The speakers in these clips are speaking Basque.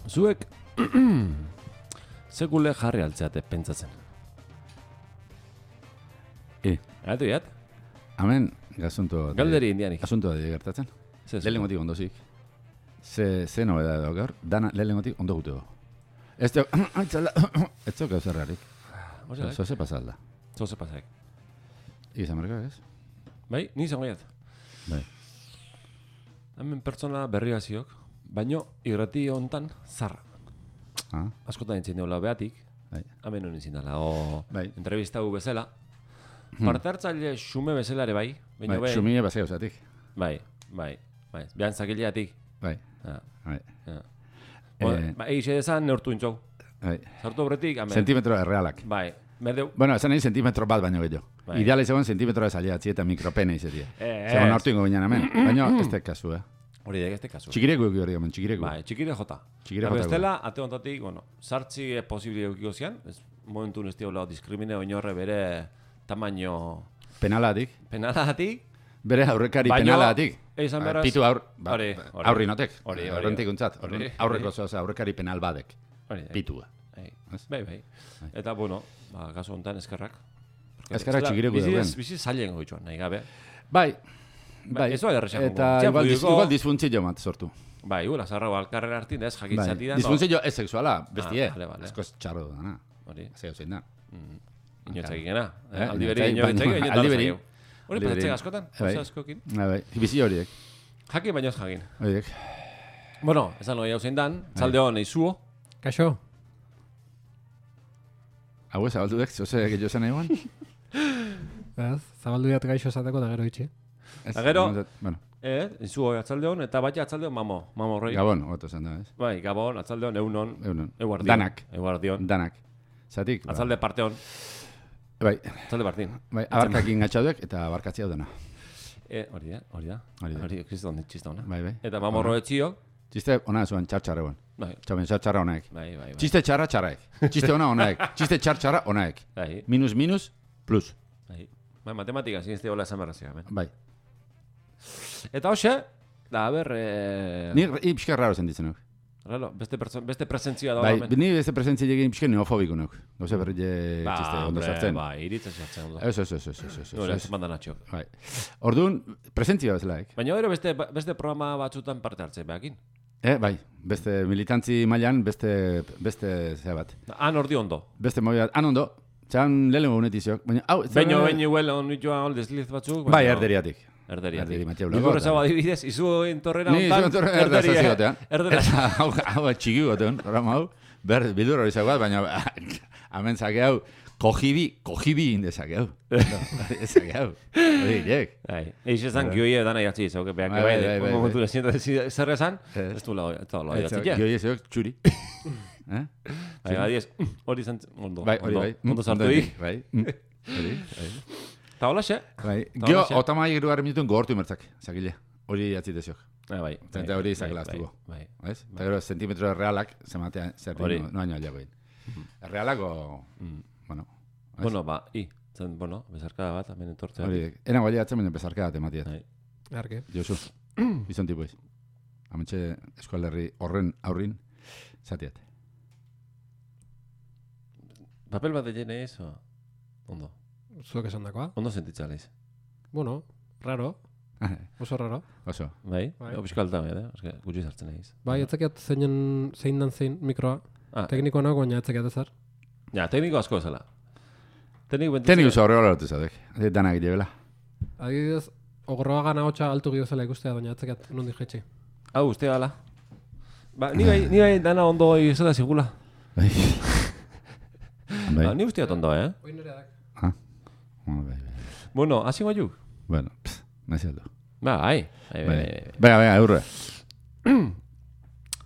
Zuek sekule jarri altzeate pentsatzen. Gatu jat? Hemen, gazunto... Galderi indianik. Asuntoa gertatzen. Lehenengotik ondozik. Ze nobeda edo gaur, dana lehenengotik ondo gutego. Ez teo... Ez teo gauza errarik. Zoze pasalda. Zoze pasaik. Izan marka, ez? Bai, ni izango jat. Bai. Hemen pertsona berria ziok, baino irrati hontan zarra. Askotan entzien deula beatik, hemen honen izin dela, entrevistau bezala. Parte hartzaile xume bezala ere bai. Xumile bazai osatik. Bai. Behan zakileatik. Bai. Eixe dezan neurtu intzau. Zartu horretik, hemen. Sentimetro errealak. Bai. Bueno, esan nahi sentimetro bat baino gehiago. Ideala izagoen sentimetro ezaliatzi eta mikropene izatia. Zegoen hortu ingo binean hemen. Baina ez te kasu, Hori dek ez te kasu. Txikireko eki hori hemen, txikireko. Bai, txikire jota. Bestela, ate ontatik, sartzi posibili eukiko zian, momentu nesti hola diskrimine oinorre bere tamaino... Penalatik. Bere aurrekari penalatik. Pitu aurri notek. Horrentik untzat. Aurreko zoaz aurrekari penal badek. Pitua. Bai. Eta, bueno, kasu honetan eskerrak. Eskerrak txikireko dauen. Bizi zailen goitxoan, nahi gabe. Bai. Ez bai errexako. Eta igual disfuntzio mat sortu. Bai, ura, zarra balkarren artin, ez jakitzati da. Disfuntzio ez sexuala, bestie. Ezko txarro dana. Hori. Zeo zein da. Inoetzak ikena. Aldiberi inoetzak. Hori pasatzek askotan? Askokin? Bai, bizi horiek. Jakin baino ez jakin. Horiek. Bueno, esan hori hau zein dan, txalde hon eizuo. Kaixo? Hau ez, zabaldu dek, zoze gehiago zen egon? Zabaldu diat gaixo esateko da gero itxi. Da gero, eizuo atzalde hon, eta baina atzalde hon mamo horrei. Gabon, oto zen da, ez? Bai, Gabon, atzalde hon, eunon. Danak. Zatik. Atzalde parte hon. Bai. Atzalde partin. Bai, abarkakin gatxaudek eta abarkatzi hau dena. Hori da. Hori kriston txista hona. Bai. Eta mamorro etxio. Txiste hona zuen txartxarra egon. Txaben txartxarra honaek. Bai. Txiste txarra txarraek. Txiste hona honaek. Txiste txartxarra honaek. Minus, plus. Bai, matematika zinezte hola esan berrazia. Bai. Eta hoxe, da, ber... Ni pixka raro zen ditzen nuk. Raro, beste presentzia da. Bai, ni beste presentzia egin pixka neofobiko nuk. Gauze berri txiste ondo sartzen. Bai, iritzen sartzen ondo. Ez. Nore, ez mandan atxok. Bai. Orduan, presentzia bezalaik. Baina gero beste programa batzutan parte hartzen behakin. Bai, beste militantzi mailan, beste zea bat. Han ordi ondo. Beste mobidat, han ondo. Txan lehenengo unetiziok. Baina huel onitxua desliz batzuk. Bai, erderiatik. Erderiatik. Nikur ezago adibidez, izu entorrera hontan. Ni izu entorrera erdazazi gotean. Erdera. Hau txiki gotean, programa hau. Bildur hori zagoat, baina hemen zake hau, kojibi indezake hau. Ezake hau. Hori girek. Eix ezan gioie dana jatzi izauke, behan bai, momentu lesiento zer ezan, ez du lau jatzi. Gioie zeok txuri. Bai, adiez, hori zan, ondo. Bai, hori bai. Ondo sartu di. Bai, hori. Eta hola xe? Gio, otamai irugarren minutuen gogortu imertzak, zakile. Hori jatzi deziok. Bai. Eta hori izakela aztuko. Eta gero, zentimetro errealak, zematea, zer no baino aliago egin. Errealako, bueno. Bueno, bezarkada bat, hemen entortzea. Hori, ena gualia atzen, baina bezarkada bat ematiat. Arke. Josu, izan tipu ez. Hamentxe eskualerri horren aurrin, zatiat. Papel bat egin ez, ondo. Zuek esan dakoa? Ondo sentitza leiz. Bueno, raro. Oso raro. Oso. Bai? Piskalta bai, gutxi zartzen egin. Bai, etzakiat zein dan zein mikroa. Teknikoa nago, baina etzakiat ezar. Ja, tekniko asko ezala. Tekniko zo horrela lotu zadek. Danak idebela. Adibidez, ogorroa gana hotxa altu giozela ikustea, baina etzakiat nondik jetxi. Hau, uste gala. Ba, ni bai dana ondo izela zigula. Bai. Ni usteat ondo, Oin nire adak. Bueno, hasi guaiuk? Bueno, nahi aldo. Bai. Venga, eurre.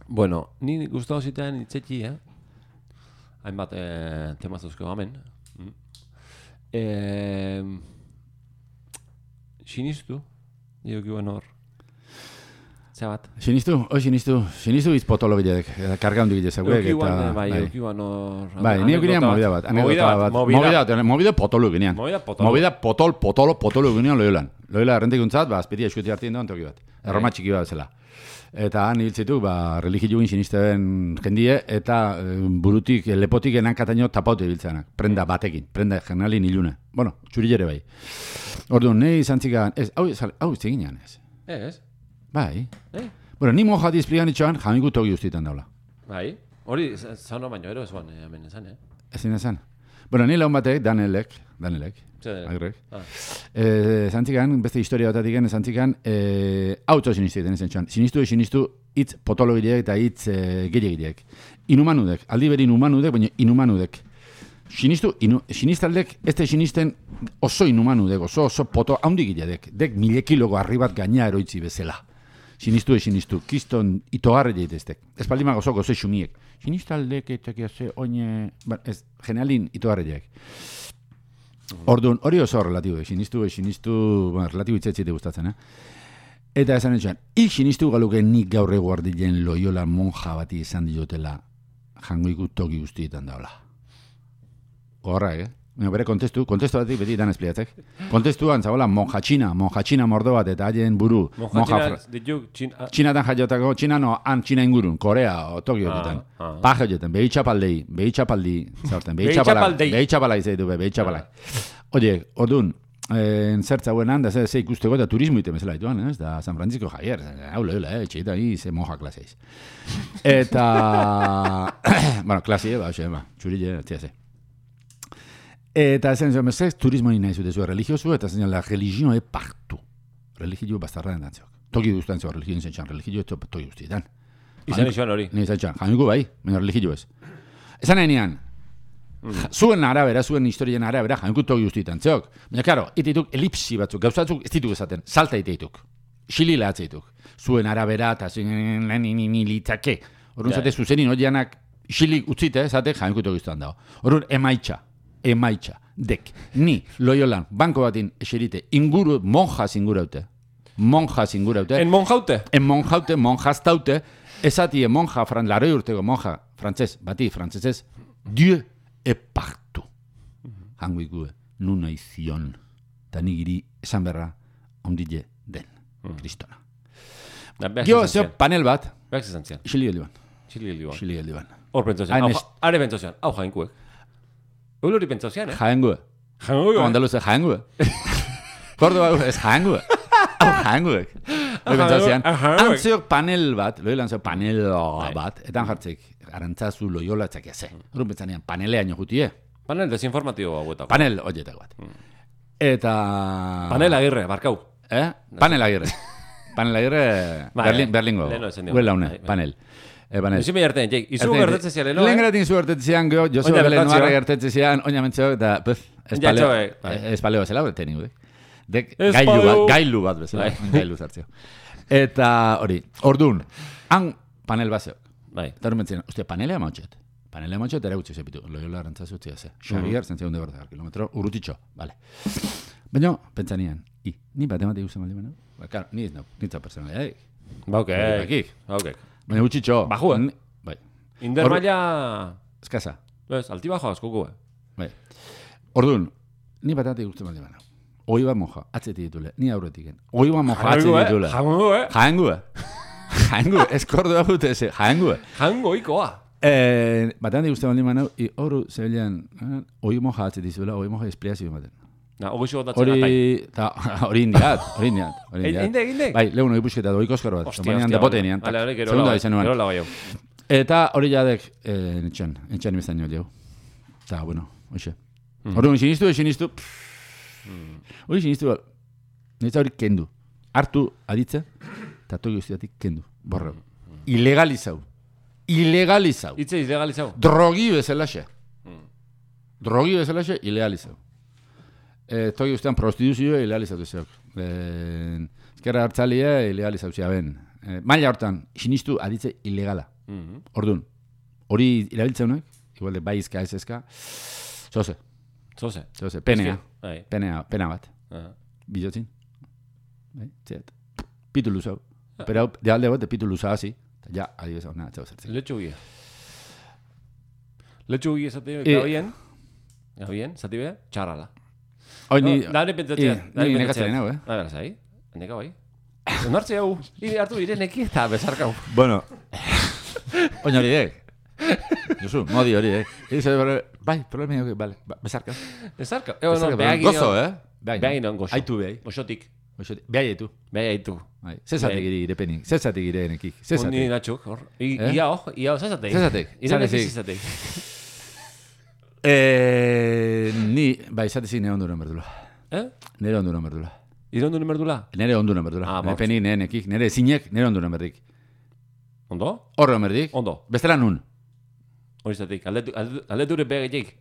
Bueno, ni gustatu zitean itzetxi, hainbat temazuzko gamen. Sinistu, diokiuen hor. Zabat. Sinistu izpotolo gilek, karga hondi gilek zeuek. Eukiuan hor... Bai, ni eukinean movida bat. Movida potolo ginean. Movida potolo ginean loiolan. Loiola errendikuntzat, azpiti eskuti hartien doan toki bat. Erroma txiki bat zela. Eta han hiltzitu, religioen sinisten jendie, eta burutik, lepotik enankataino tapaute biltzenak. Prenda batekin, prenda generalin ilune. Bueno, txurilere bai. Orduan, nahi zantzikan, hau izteginean ez. Ez? Bai. Bueno, ni moja dizpligan itxoan, jamiku togi ustitan daula. Bai. Hori, zauna baino, ero ezuan, hemen ezan, Ezin ezan. Bueno, ni laun batek, Danelek, agrek. Zantzikan, beste historia batatik gen, zantzikan, auto sinistiten ezen txan. Sinistu, hitz potologideek eta hitz gehiagideek. Inumanudek, aldi beri inumanudek, baina inumanudek. Sinistaldek, ez da sinisten oso inumanudek, oso poto haundigidek, dek 1000 kiloko arribat gaina eroitzi bezala. Sinistu, kiston itogarre jaiteztek. Ez paldimak oso xumiek. Sinistaldek eta oine, ez, generalin itogarre jaik. Orduan, hori oso relatibo, sinistu, relatibo itzetzite gustatzen, Eta esan etxan, sinistu galuke nik gaur eguardien Loyola monja bati izan diotela jangoiku toki guztietan daula. Horra, bere kontestu batik beti dan espliatzek. Kontestuan zagoela monjatxina mordo bat eta haien buru. Txinatan jaiotako, Txina ingurun, Korea, Tokio horretan. Paja horretan, behitxapaldi, zaurten, behitxapala izaitu, behitxapala. Oie, orduan, zertza guenan, da ze ikusteko eta turismo ite bezala dituan, da San Francisco Javier, haula, etxeita, ze monja klaseiz. Eta, bueno, klasie, txurile, txiase. Eta esan zuen, turismo nahi zute zuen religiozu, eta esan zuen, la religio e partu. Religio bastarra den dantzok. Toki guztan zuen, religio izan txan, religio toki guztietan. Izan izan hori? Izan txan, janiko bai, baina religio ez. Esan enean, zuen arabera, zuen historien arabera, janiko toki guztietan, zeok. Baina, karo, itituk elipsi batzuk, gauzatzuk ez dituk esaten, salta iteituk. Xilila atzeituk. Zuen arabera, eta zuen litzake. Horren zate, zuzenin horianak xilik utzite, zate, janiko toki guztietan dago. Horren, emaitxa, dek, ni, Loyolan, banko batin eserite, monjas inguraute. En monjastaute, esatie monja, laroi urteko monja, frantzesez, Dieu e partu. Hango ikue, nuna izion, eta nigiri esan berra, ondile den, kristona. Gio, zeo, panel bat, xili geldiban. Hor pentsozian, are pentsozian, hau jainkuek. Uluri pentsozian, Jaengue. Como andaluz, jaengue. Córdoba es jaengue. Jaengue. Pentsozian. Antzeok panel bat, Loyolan zeo panel bat, etan jartzik, arantzazu Loyola txakiaze. Horren pentsanean, paneleaino jutie. Panel desinformatibo hauetako. Panel horietak bat. Eta... Panel Agirre, barkau. Panel Agirre. Berlingo. Huela une, panel. Ezin behi hartzen, Jake. Izu gertetzen zian, no? Lehen geratin zu gertetzen zian, Josu Belen Noarra gertetzen zian, oina mentzeo, eta espaleo zela, bete ningu, dek gailu bat bezala, gailu zartzio. Eta hori, ordun, han panel bat zeok. Eta hori mentzen, ostia, panelea mautxet. Panelea mautxet ere gutxi zepitu, Loyola arantzazu utzia ze. Xavier, zentzea hunde borda, kilometro, urrutitxo, bale. Baina, pentsanian, ni batematik uzen bali bena? Claro, ni ez nau, nitza personalia, Baukek. Baina gutxitxo. Bajuen. Bai. Inder maila... Eskasa. Alti bajo askoko, Bai. Orduan, ni batematik usten bali bena. Hoi bat monja, atzeti ditule, ni aurretiken. Hoi bat monja, atzeti ditule. Jaengu, eskordu da gute eze, jaengu. Jaengu ikoa. Batematik usten bali bena, horu zebilean, hoi monja atzeti ditule, hoi monja espliazio baten. Hori indiat. Inde? Bai, lehun hori pusketa doi koskar bat. Hostia. Segunda izenuan. Eta hori jadek, entxan imestan nio lehau. Eta, bueno, hoxe. Hori sinistu. Hori sinistu, nitza hori kendu. Hartu aditza, eta toki guztiatik kendu. Borreu. Ilegalizau. Itze ilegalizau. Drogi bezalaxe, ilegalizau. Toki guztian prostituzioa ilegalizatu zeok. Ezkerra hartzalia ilegalizatu ben. Maila hortan, sinistu aditze ilegala. Orduan, hori irabiltzeunak, igual de bai izka ez ezka, zoze. Pena bat. Bilotzin. Pitu luzau. Pero de alde bat, pitu luzau hazi. Ja, adibes hau nahatxau zertzen. Letxugi esate, gabien, zati be, txarrala. Hoi ni... Dare pentsatzen. Ni nekatzen hau, Neka bai? Onartze hau, hartu Ireneki eta bezarkau. Bueno, oin hori Josu, modi hori, bai, problema hori, bale, bezarkau. Bezarkau. Gozo, Behagin on gozo. Aitu behai. Gozotik. Behai aitu. Behai aitu. Zezatek irepenik, zezatek irenekik, zezatek. Ni natxuk, hor. Ia, zezatek. Zezatek. Ireneki zezatek. Ni, bai, zatezik nire onduren berdula. Nire onduren berdula. Ire onduren berdula? Nire onduren berdula. Irepenik nire nekik, nire zinek, nire onduren berdik. Ondo? Horre berdik. Ondo. Bestela nun. Horizatik, galdeture behagetik.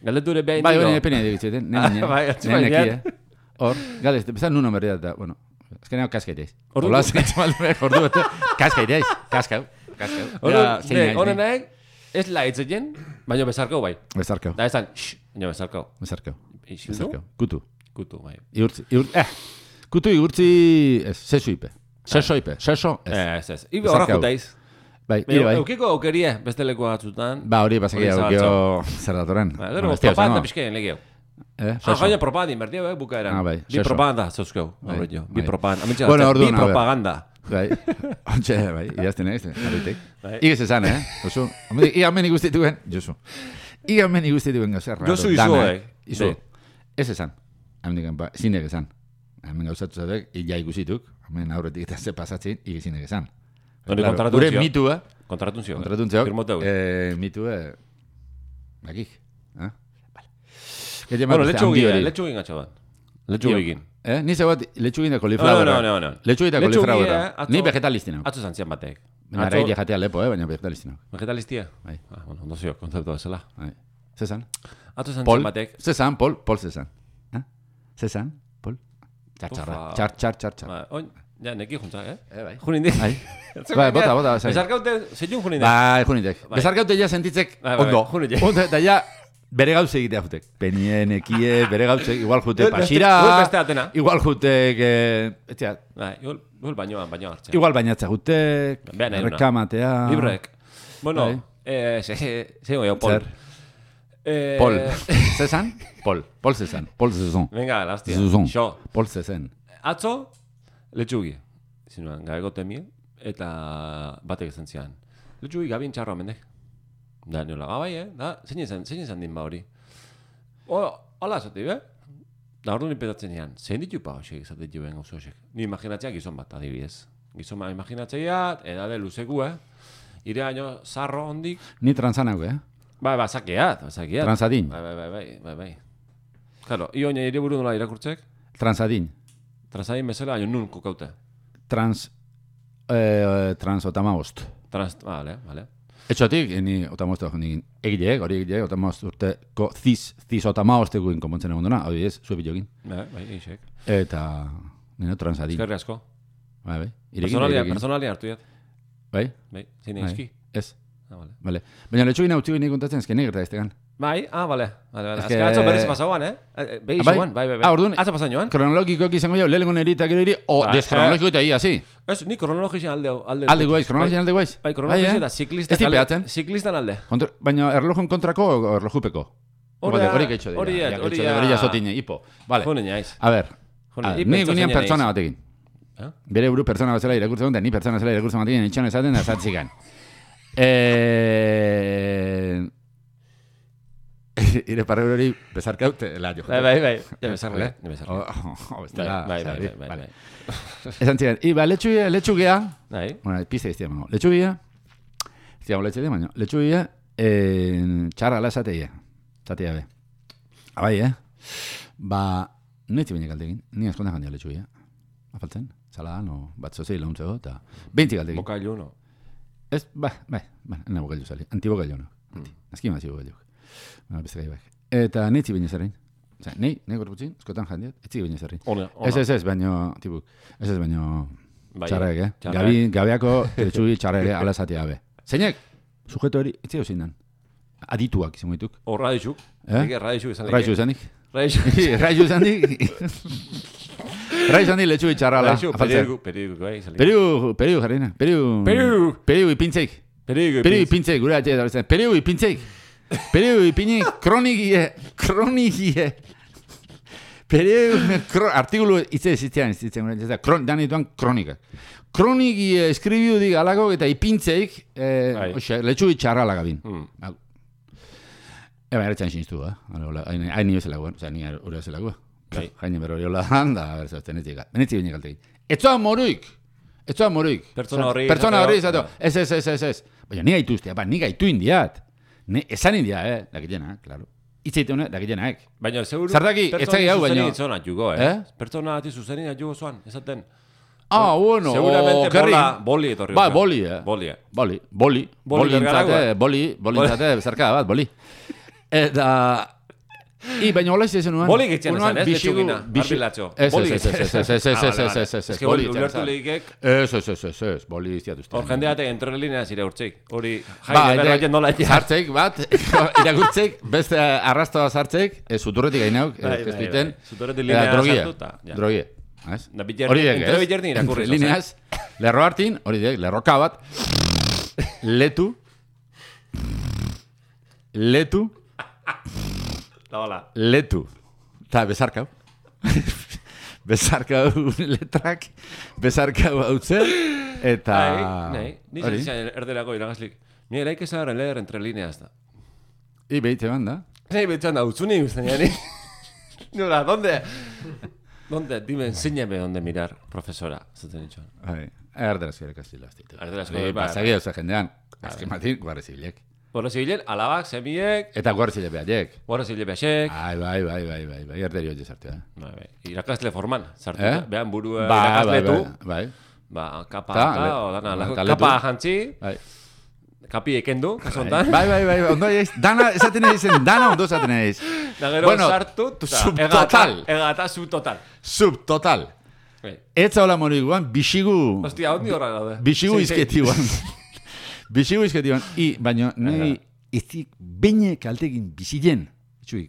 Galdeture behagetik. Bai, hori irepenik egitzen, nire neki, Hor, galez, bezala nun omerri da, bueno, azkenean kaskaiteiz. Hola, ordu bete, kaskaiteiz, kaskau. Honen nahi, ez laitzen, baina bezarkau bai. Bezarkau. Da ezan, baina bezarkau. Bezarkau. Kutu, bai. Kutu igurtzi, sesuipe. Sesoipe, seso, ez. Ibe horra jutaiz. Bai, bai. Eukiko aukerie, beste leku batzutan. Ba, hori, basakia aukio zer datoren. Gero, propaganda pixkeen legeo. Baina propaganda inbertia, bukaeran. Bi propaganda, zauzkeu. Bi propaganda. Bi propaganda. Bai, ontxe, bai, idazten egizte, harritek. Igez esan, Josu. Igan meni guztituen, Josu. Igan meni guztituen gauzerra. Josu izuek. Izu. Ez esan. Zinek esan. Hemen gauzatu zatek, ia ikusituk. Hemen aurretik eta ze pasatzen, igezinek esan. Gure mitua. Kontratunzio. Firmoteu. Mitue. Bakik. Bueno, letxugin gatxo bat. Letxugin. Ni zegoat letxugin da koliflauera. No. Letxugin da koliflauera. Ni vegetalistina. Atzo zantzian batek. Baina araide jatea lepo, baina vegetalistina. Vegetalistia? Bai. Bueno, ondo zio, konzeptu bezala. Zezan? Atzo zantzian batek. Zezan, Pol zezan. Zezan, Pol. Txar. Oin, ja, neki juntza, Bai. Junindik. Bai, bota. Bezarkaute, zeiun junindik. Bai, junindik. Bezarkaute ja sentitzek ondo. Junindik. Ondo, eta ja, bere gauze egitea jutek. Penien, ekie, bere gauze, igual jute pasira. Igual jutek, etxea. Igual bainoa hartzea. Igual bainatza jutek, rekamatea. Librek. Bueno, zego jo, Pol. Pol. Zezan? Pol zezan. Pol zezon. Venga, lastia. Zezon. Pol zezen. Atzo, letxugi. Zinuan, gabegote mie, eta batek esan zian. Letxugi gabien txarroa mendek. Da, niola, bai, zein izan din ba hori. Hola, zati, Da, orduan impetatzen nian, zein ditu pa hoxek izaten joen gauzo hoxek. Ni imaginatzea gizon bat, adibidez. Gizon bat imaginatzea, edade luzeku, Ire aino, zarro hondik. Ni transanau, Bai, zakeat. Transadin. Bai. Claro, ioine ire buru nola irakurtzek? Transadin. Transadin bezala, aino nun kokaute? Otamabost. Vale. Etxotik, ni otamabost egile, otamabost urteko ziz otamabost eguin konpontzen egon duna, hau ez, zuepi jogin. Bai, eixek. Eta, nino transadin. Eskerri asko. Bai. Personalia hartu jat. Bai? Zine eski. Ez. Vale. Baina letxugin hau txugin kontatzen ezken negerta eztegan. Bai, vale. Azken atzo berriz pasauan, Behi joan, bai. Orduan, atzo pasan joan. Kronologikoak izango jau, lehenengo neri eta gero eri, deskronologiko eta ia, zi? Ez, ni kronologizien alde. Alde guaiz, kronologizien alde guaiz? Bai, kronologizien eta ziklistan alde. Baina erlojun kontrako o erlojupeko? Hori gaitxo dira. Hori jasotine, hipo. A ber, ni gunean pertsona batekin. Bere buru pertsona batzela irakurtzen dut, ni pertsona batzela irakurtzen batekin itxan esaten da zatzikan. Ire parre hori bezarkaute la jo. Bai. Ja bezarle. Bai. Esan ziren, iba letxugea. Bai. Bueno, pizte iztia mango. Letxugea. Ziago letxe de baino. Letxugea txarra la zateia. Zateia be. Abai, Ba, netzi baina galdekin. Ni askonda jandia letxugea. Afaltzen. Saladan o bat zozei launtzego eta 20 galdekin. Bokailu no. Ez, bai, ena bokailu zali. Antibokailu no. Azki mazi bokailu. Eta netzi baina zerrein. Nei gorputzin, eskotan jandiat, etzi baina zerrein. Ez, baino, tibuk. Ez, baino, txarrek, Gabeako letxugi txarrek ala zatea be. Zeinek, sujeto hori, etzi hau zindan. Adituak izan gaituk. O radixuk. Radixuk izan Radixuk izanik. Radixuk izanik. Radixuk izanik letxugi txarrala. Periu, jarrina. Periu ipintzeik. Periu ipintzeik, gure atxe da. Periu ipintzeik. Periu ipini kronigie. artikulu iztean, dan dituan kronikak. Kroniki eskribiu dik alako eta ipintzeik, letxugi txarra lagabin. Eba, eretzen siniztu, hain nio zelagoa, ni hori zelagoa. Jaine berro hori hola handa, benetzik binek altekin. Etzoa moruik! Pertsona horri izateo. Ez. Baina ni gaitu ustea, ni gaitu indiat. Esan india, dakitena, klaro. Itzeite dakitenaek. Baina, seguru, pertsona zuzenin jugo, Pertsona ati zuzenin jugo zoan, esaten. Bueno, seguramente boli etorri. Ba, boli, Boli bezarka bat, boli. Eta... baina hola izazen nuan... Boli getxean esan, ez? Letxugina, arbilatxo. Boli Ez, boli ulertu lehikek... Ez, boli iztiatuzte. Hor jendeate entre lineaz ire urtzeik. Hori jaine berraien nola etxea. Zartzeik bat, irakurtzeik, beste arrastoa zartzeik, zuturretik gainauk, ez duiten. Zuturretik linea sartuta. Drogie. Hori dek, entre bitxerni irakurri. Lineaz, lerro hartin, hori dek, lerroka bat, letu, eta bezarkau. Bezarkau letrak, bezarkau hau zer, eta... Ni zizien erderako iragazlik. Ni eraik ezagaren leher entre lineaz da. Behite banda. Behite banda, utzuni guztien jani. Nola, ¿Dónde? Dime, enséñame dónde mirar, profesora. Zaten itxoan. Erderazko ere kastila. Erderazko. Pasagi hau zen azken matin, guarri zibilek. Guarri zibilen, alabak, semiek. Eta guarri zile behaiek. Guarri zile behaiek. Bai, erderi hori sartu, Irakasle forman, sartu. Behan buru irakasletu. Bai. Kapa kapa jantzi. Kapi ekendu, kaso ondan. Bai, ondo eiz. Dana, esaten eizen, ondo esaten eiz. Nagero sartu, subtotal. Egata subtotal. Subtotal. Etza hola moriguan, bixigu... Hostia, ondi horra gaude. Bixigu izketiguan. Baina, nahi, ezik beine kaltegin bizilen. Etxuik,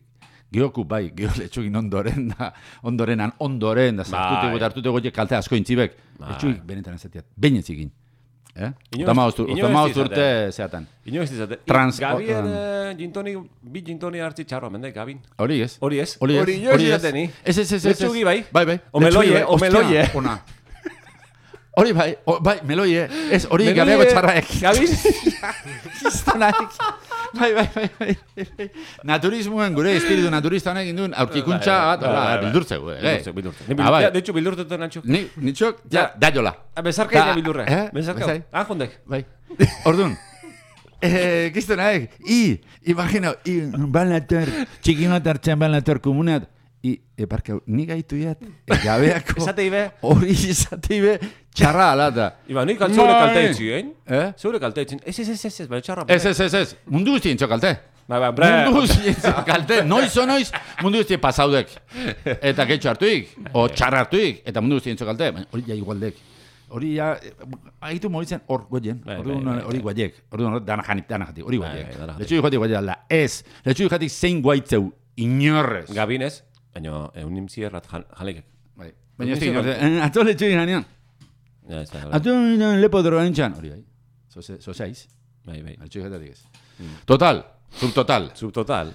geoku bai, geoletxugin ondoren da, zartute goiek kalte asko intzibek. Etxuik, benetan ezatiat, beine zikin. Otamaoz urte zeatan. Ino ez dizate. Gabien bi gintoni hartzi txarro, mende, Gabin. Hori ez. Hori ino ez dizateni. Ez. Letxugi bai. Bai. Omeloie. Hori bai, meloie. Ez, hori gabeago txarraek. Gabin. Kistonaek. Bai. Naturismoen gure espiritu naturista honek induen aurkikuntza bat, bildurtzeko. Bildurtzeko. De hecho, bildurtetan antxok. Nitxok, da jola. Bezarka ina bildurre. Bezarka. Jondek. Bai. Orduan. Kistonaek. Imagino, balator, txikinot hartzen balator komunat. Parkau, ni gaitu iat, gabeako... Esate ibe? Hori esate ibe, txarra alata. Iba, nik zeure kalte etxi, Zeure kalte etxin. Ez, bai, txarra. Ez. Mundu guztien txokalte. Mundu guztien txokalte. Noiz, mundu guztien pasaudek. Eta getxo hartuik, o txarra hartuik, eta mundu guztien txokalte. Hori ja igualdek. Hori ja, haitu moritzen hor goien. Hori guaiek. Hori dana jatik, hori guaiek. Letxu jatik guaiek alda. Ez, letxu jatik zein guaitzeu inorrez. Gabinez. Baina, eunim zierrat jalekek. Baina, atzo letxuin janean. Atzo lepo droga nintxan. Hori bai, zozaiz. Bai. Letxuin jatatik ez. Total, subtotal.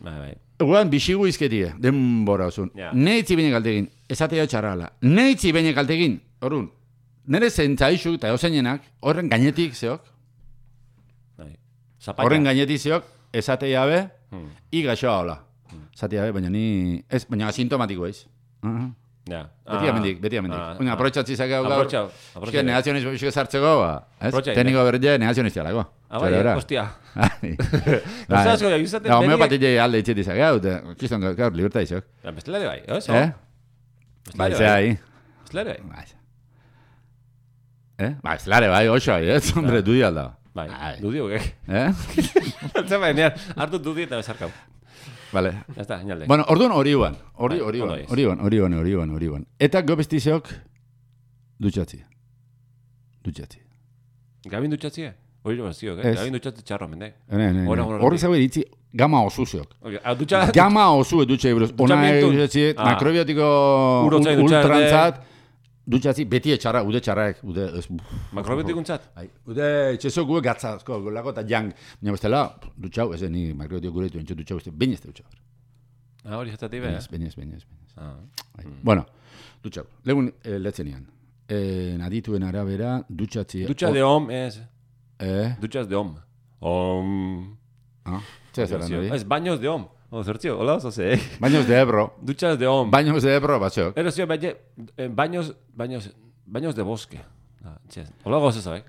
Bai. Eguan, bixigu izketie, denbora osun. Neitzi bine kaltegin, esatea txarrala. Neitzi bine kaltegin, horun, nire zentzaixuk eta euseinenak, horren gainetik zeok. Horren gainetik zeok, esatea be, igaxoa hola. Zatia, baina asintomatiko eiz. Beti amendik. Aprotxatzi zakau gaur. Aprotxau. Negazionizmo sartzeko, tekniko berde negazioniztia lago. Hostia. Ostazko, jakizaten beriek... Homeopatile alde itxeti zakau, kiston gaur liberta izok. Bestelare bai, oso? Baizea ahi. Bestelare bai. Bestelare bai, oso ahi, hombre, dudi alda. Bai, dudi hogek. Zema, hartu dudi eta bezarkau. Vale. Ya está, señale. Bueno, orduan hori ban. Eta gobestizeok dutxatzi. Gabin dutxatzi, hori ziok, Gabin dutxatzi txarro, mende. Horri zago eritzi gama osu zeok. Gama osu dutxe buruz. Ona dutxatzi, makrobiotiko ultrantzat, dutxatzi beti etxarra, ude txarraek. Makrobiotikuntzat? Ude etxezok gue gatzazko, lako eta jang. Baina bestela, dutxau, ez ni makrobiotiko guretu entxo dutxau, baina ez da dutxau. Hori jatzatik beha? Baina ez. Bueno, dutxau. Legun letzenean. Adituen arabera, dutxatzi... Dutxa de hom, ez. Dutxas de hom. Zer zelan hori? Ez, baños de hom. Zertzio, hola, oso ze. Baños de Ebro. Dutxas de hom. Baños de Ebro, batxok. Erozio, baños de bosque. Hola, gozo zabek.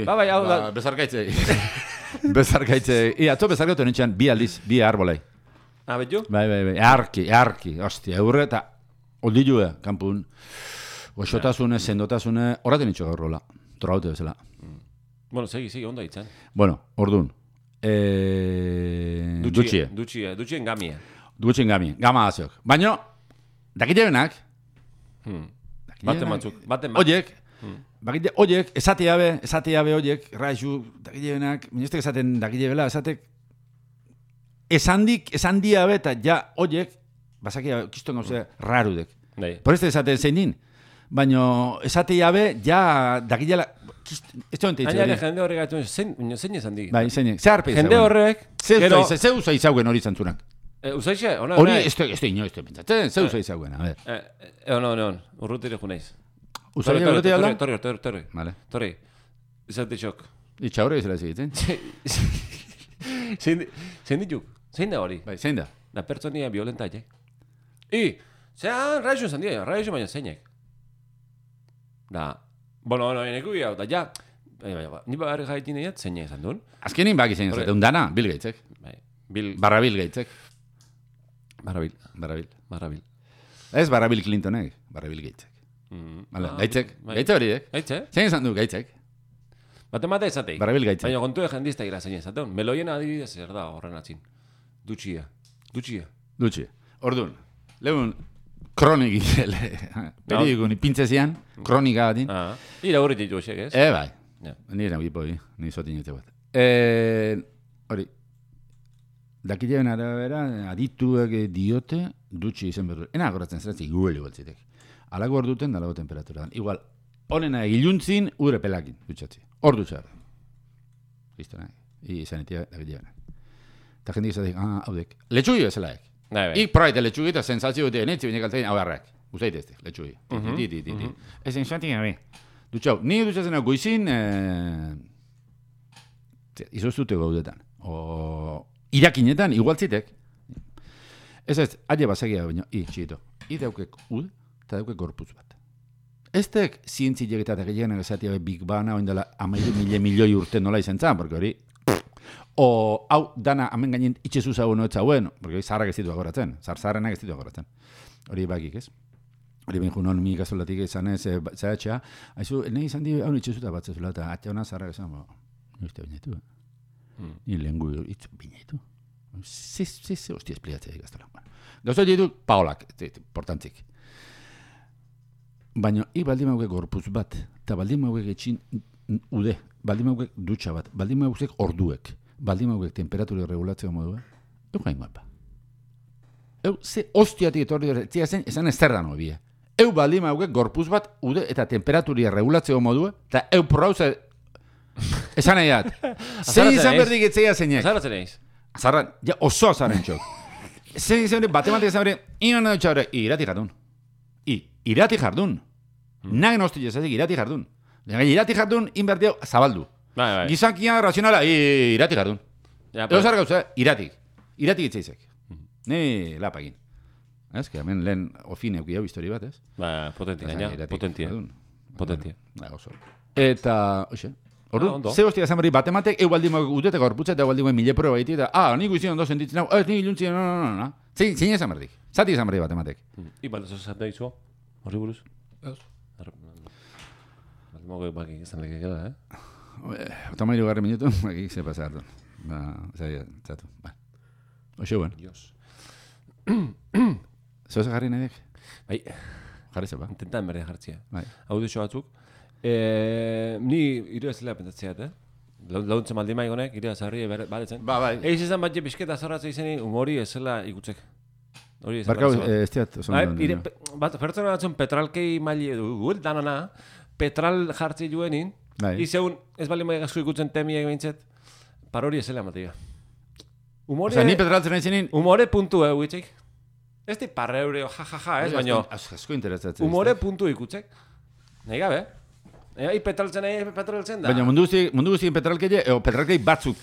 Bai, hau da. Bezarkaitzei. Bezarkaitzei. Atzo bezarkaitu nintxean bi aldiz, bi arbolei. Betu? Bai. Arki. Ostia, eurre eta oldilue, kanpun. Goxotasune, sendotasune, horreten nintxo gaur rola. Trogaute bezala. Bueno, segi, ondo hitzen. Bueno, ordun. Dutxien gamia. Dutxien gamia, gama aziok. Baina, dakite benak. Baten Oiek, bakite, oiek, esate jabe oiek, raizu, dakite benak, minestek esaten dakite bela, esatek, esan diabe eta ja oiek, basakia, kiston gauze, rarudek. Por este esaten zein din. Baina, esate jabe, ja, dakitela, ez tonte hitz hori. Jende horrek gaitu, zein esan dik? Bai, zein, ze harpe jende horrek, ze usa izauen hori zantzunak. Usaixe, ona? Hori, ez pentsatzen, ze usa izauen, a ver. Ona, urrutire juneiz. Usaile urrutia alda? Torri. Vale. Torri, izate txok. Itxa horre izela zigitzen? Zein dituk? Zein da hori? Bai, zein da? Da pertsonia violenta, zean, raizu esan dira, raizu baina zeinek. Da, bueno, eneku gira, da, ja, ni bagarri jaitin egin, zeinek esan duen. Azkenin baki zein esaten, dana, Bill Gatesek. Barra Bill Gatesek. Barra Bill. Ez Barra Bill Clintonek, Barra Bill Gatesek. Gatesek hori, zein esan du Gatesek. Batemate esateik. Barra Bill Gatesek. Baina kontu jendizta gira zein esaten. Meloien adibidez zer da horren atzin. Dutxia. Orduan, lehun, kronik periodikun ipintzezian, kronika batin. Ira horret ditu esek, ez? Bai. Nire gipoi, nire sotinetze bat. Hori, dakilean arabera, adituak diote, dutxi izen berdu. Ena agoratzen zeratzi, gueli baltzitek. Alago hor duten, dalago temperatura. Igual, honena egiluntzin, udre pelakin, dutxatzi. Hor dutxar. Listo, nahi. Izanetia, dakilean. Eta jendik izatik, haudek. Letxugi bezalaek. Ik probaite letxugi eta sensazio dute, netzi binek altain, hau harrak. Uzaitezte, letxugi. Ez enxatik gabe. Dutxau, ni dutxatzen hau goizin, izoztute gaudetan. Irakinetan, igualtzitek. Ez, aile basagia baino, txito. Daukek ud, eta daukek gorputz bat. Ez tek zientziek eta tegeienak esatia Big Bana, oindela 12 milioi urte nola izan zan, porque hori, hau dana hemen gainen itxezu zagoen ez zauen, porque hori zaharrak ez ditu agoratzen, zaharrenak ez ditu agoratzen. Hori bakik ez. Hori behin junon mi gazolatik izan ez, zahatxa, haizu, nahi izan di hau itxezuta bat zezula, eta atxa hona zaharrak esan, nire binetu, ni lengu itz binetu. Ze hostia espliatzea ikaztela. Gauza ditu, paolak, portantzik. Baina, baldin mauke gorpuz bat, eta baldin mauke etxin ude, baldin mauke dutxa bat, baldin mauke orduek, baldin mauke temperatura regulatzea modua, gain guapa. Ze hostiatik etorri dira, esan ez zer da no bie. Baldin mauke gorpuz bat, ude eta temperatura regulatzea modua, eta prauze, esan nahi dat. Zein izan berdik etzea zeinek. Azarratzen eiz. Azarran, ja oso azarren txok. Zein izan berdik, batematik izan berdik, inan dutxa horre, irati jardun. Nagen hosti jezatik irati jardun. Irati jardun, inbertio, zabaldu. Gizakia, razionala, irati jardun. Ego zara gauza, iratik. Iratik itzaizek. Ne lapagin. Ez, que hemen lehen ofin euki hau histori bat, ez? Potentia, gaina, potentia. Eta, oixe, ordu, ze hostia zanberri batematek, baldin mauk uteteko gorputza eta baldin mauk mile proba baiti, eta, nik izin ondo sentitzen hau, ni iluntzien, no. Zein ezan berdik? Zati ezan berdik batematek? Ibalda zozatea izo, horri buruz? Ez. Baldin mauk bakik izan leke gela, Otamailu garri minutu, bakik ze pasa hartu. Zatu, oixe, buen. Zeu ze jarri nahi dek? Bai. Jarri zepa? Intentan berde jartzia. Audizio batzuk. Ni iru ez zela pentsatzea, launtzen maldi maigonek, iru azarri baletzen. Bai. Eiz izan bat je bisketa azarratzea izeni, humori ez zela ikutzek. Barkau, ez diat, oso pertsona batzun petralkei maili edu, danana, petral jartzi juenin, izeun ez bali maia gazko ikutzen temiek behintzet, parori ez zela matia. Osa, ni petraltzen nahi zenin? Humore puntu, huitzik. Ez di parreure, jajaja, ez, baina... Asko interesatzen. Humore puntu ikutzek. Nahi gabe. Petraltzen da. Baina mundu guztien petralkeie, petralkei batzuk,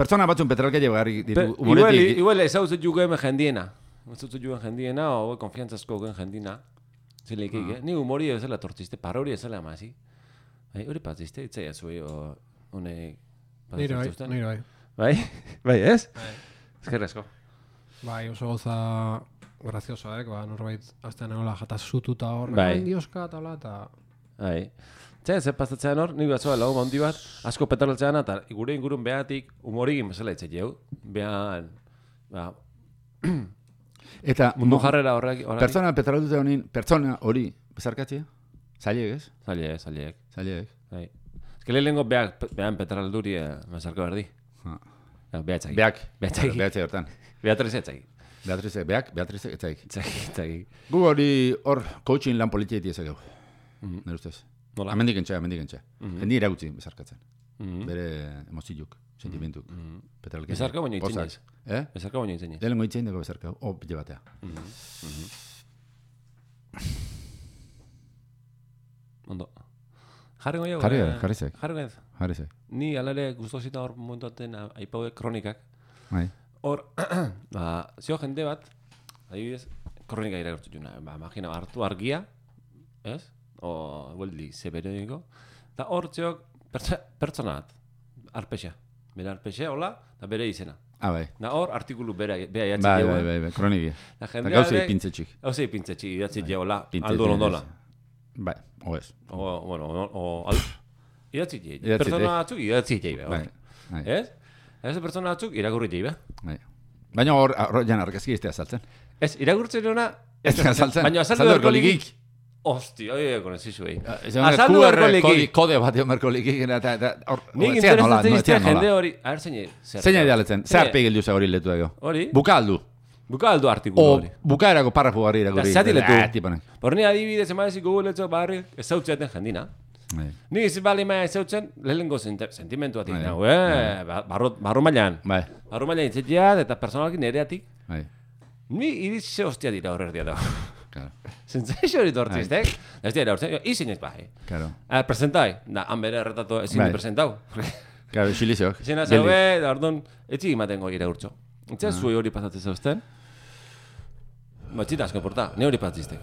pertsona batzun petralkeie bagarrik ditu humoretik. Igual ez hau zut juguen jendiena. Ez zut juguen jendiena, o konfiantzazko gen jendina. Zileikik, ni humori ez zela tortziste, parori ez zela amazi. Hori patziste, itzea zui, honek... Nire bai. Bai, ez? Ezkerrezko. Bai, oso goza graziosoak, norbait aztean egola jataz zututa hor, dioska eta hola, eta... Bai. Zer pastatzean hor, nik batzoa lau handi bat, asko petroltzean, eta gure ingurun behatik humorigin bezala itzek jau. Behan, eta mundu jarrera horrek... Pertsona petroltze honin, pertsona hori bezarkatzea? Zaileek, ez? Zaileek. Bai. Ez que lehenengo behan petralduri bezarko berdi. Behatzaki. Behatzaki hortan. Beatriz etzaki. Beatriz etzaki. Etzaki. Gu hori hor coaching lan politieti ezagau. Nire ustez. Nola? Amendik entxe. Hendi iragutzi bezarkatzen. Bere emoziuk, sentimentuk. Bezarka baino itzen ez. Bezarka baino itzen ez. Delengo itzen dago bezarka. Pile batea. Ondo. Jarri goio? Jarrizek. Ni alare guztosita hor momentuaten aipaude kronikak. Hor, zio jende bat, adibidez, kronika irakurtu juna. Imagina, hartu argia, ez? O, gueldi, zebereniko. Eta hor txok, pertsona bat, arpexa. Bere arpexa, hola, eta bere izena. Bai. Da hor, artikulu bera jatzen jau. Bai, kroniki. Gauzei pintzetxik. Gauzei pintzetxik, idatzi jau, hola, aldo londola. Bai, ez. Idatzi jau. Pertsona batzuk idatzi jau. Ez? Ez pertsona batzuk irakurri jau. Baina hor jan argazki ez azaltzen. Ez, irakurtzen duna... Ez azaltzen. Baina azaldu erko ligik. Hosti, con ez izu azaldu erko ligik. Kode bat jo merko ligik. Nik interesatzen iztea jende hori... A ver, zein idealetzen. Zer pegildu ze hori letu dago. Hori? Bukaldu artikulu hori. Bukaerako parrafu garri irakurri. Zati letu. Por ni adibidez emadezik guguletzo barri ez zautzeaten jendina. Nik ez bali maia ez zautzen lehenengo sentimentu batik. Barru mailan. Barru mailan itzeteat eta personalaki nereatik. Ni iritze hostia dira horrer dia dago. Zentzaizo hori tortziztek. Ez dira hortzen, izin ez bai. Presentai. Han bere erretatu ezin di presentau. Claro, xilizeok. Izena zaube, da ordon, etxik imaten goi iraurtzo. Entzea zui hori pasatzen zauzten? Batxita asko porta, ne hori pasatziztek.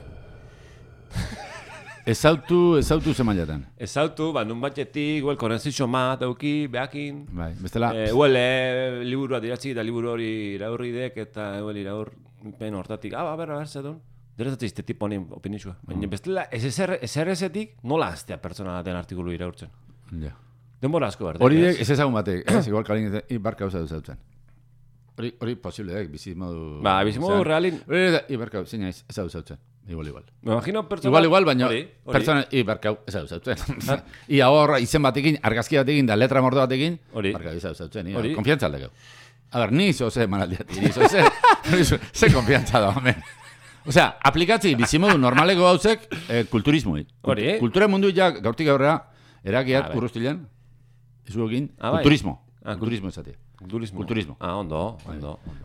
Ezautu ze mailatan? Ezautu, nun batxetik, huel konenzizio mat dauki, behakin. Bai, bestela. Huel, liburua diratzi eta liburu hori iraurri dek eta huel iraur pen hortatik. Berra, zedun. Derezatzen izte tipo honin opinizua. Baina bestela, SRS-etik nola aztea pertsona den artikulu iraurtzen. Denbora asko berde. Hori dek, ez ezagun batek, igual kalin ibarka hau zautzen. Hori posible dek, bizimodu... Bizimodu realin... Ibarka hau, zeina ez hau zautzen. Igual. Me imagino pertsona... Igual, baina pertsona ibarka hau ez hau zautzen. Ia hor, izen batekin, argazki batekin, da letra mordo batekin, ibarka hau ez hau zautzen. Konfiantza aldekau. A ver, ni zo ze manaldiati, ni zo ze konfiantza da, homen. Osea, aplikatzi bizimodu normaleko gauzek kulturismoi. Kultura mundu ja gaurtik aurrera erakiat urrustilean, ezuekin, kulturismo. Kulturismo esatia. Kulturismo. Ondo.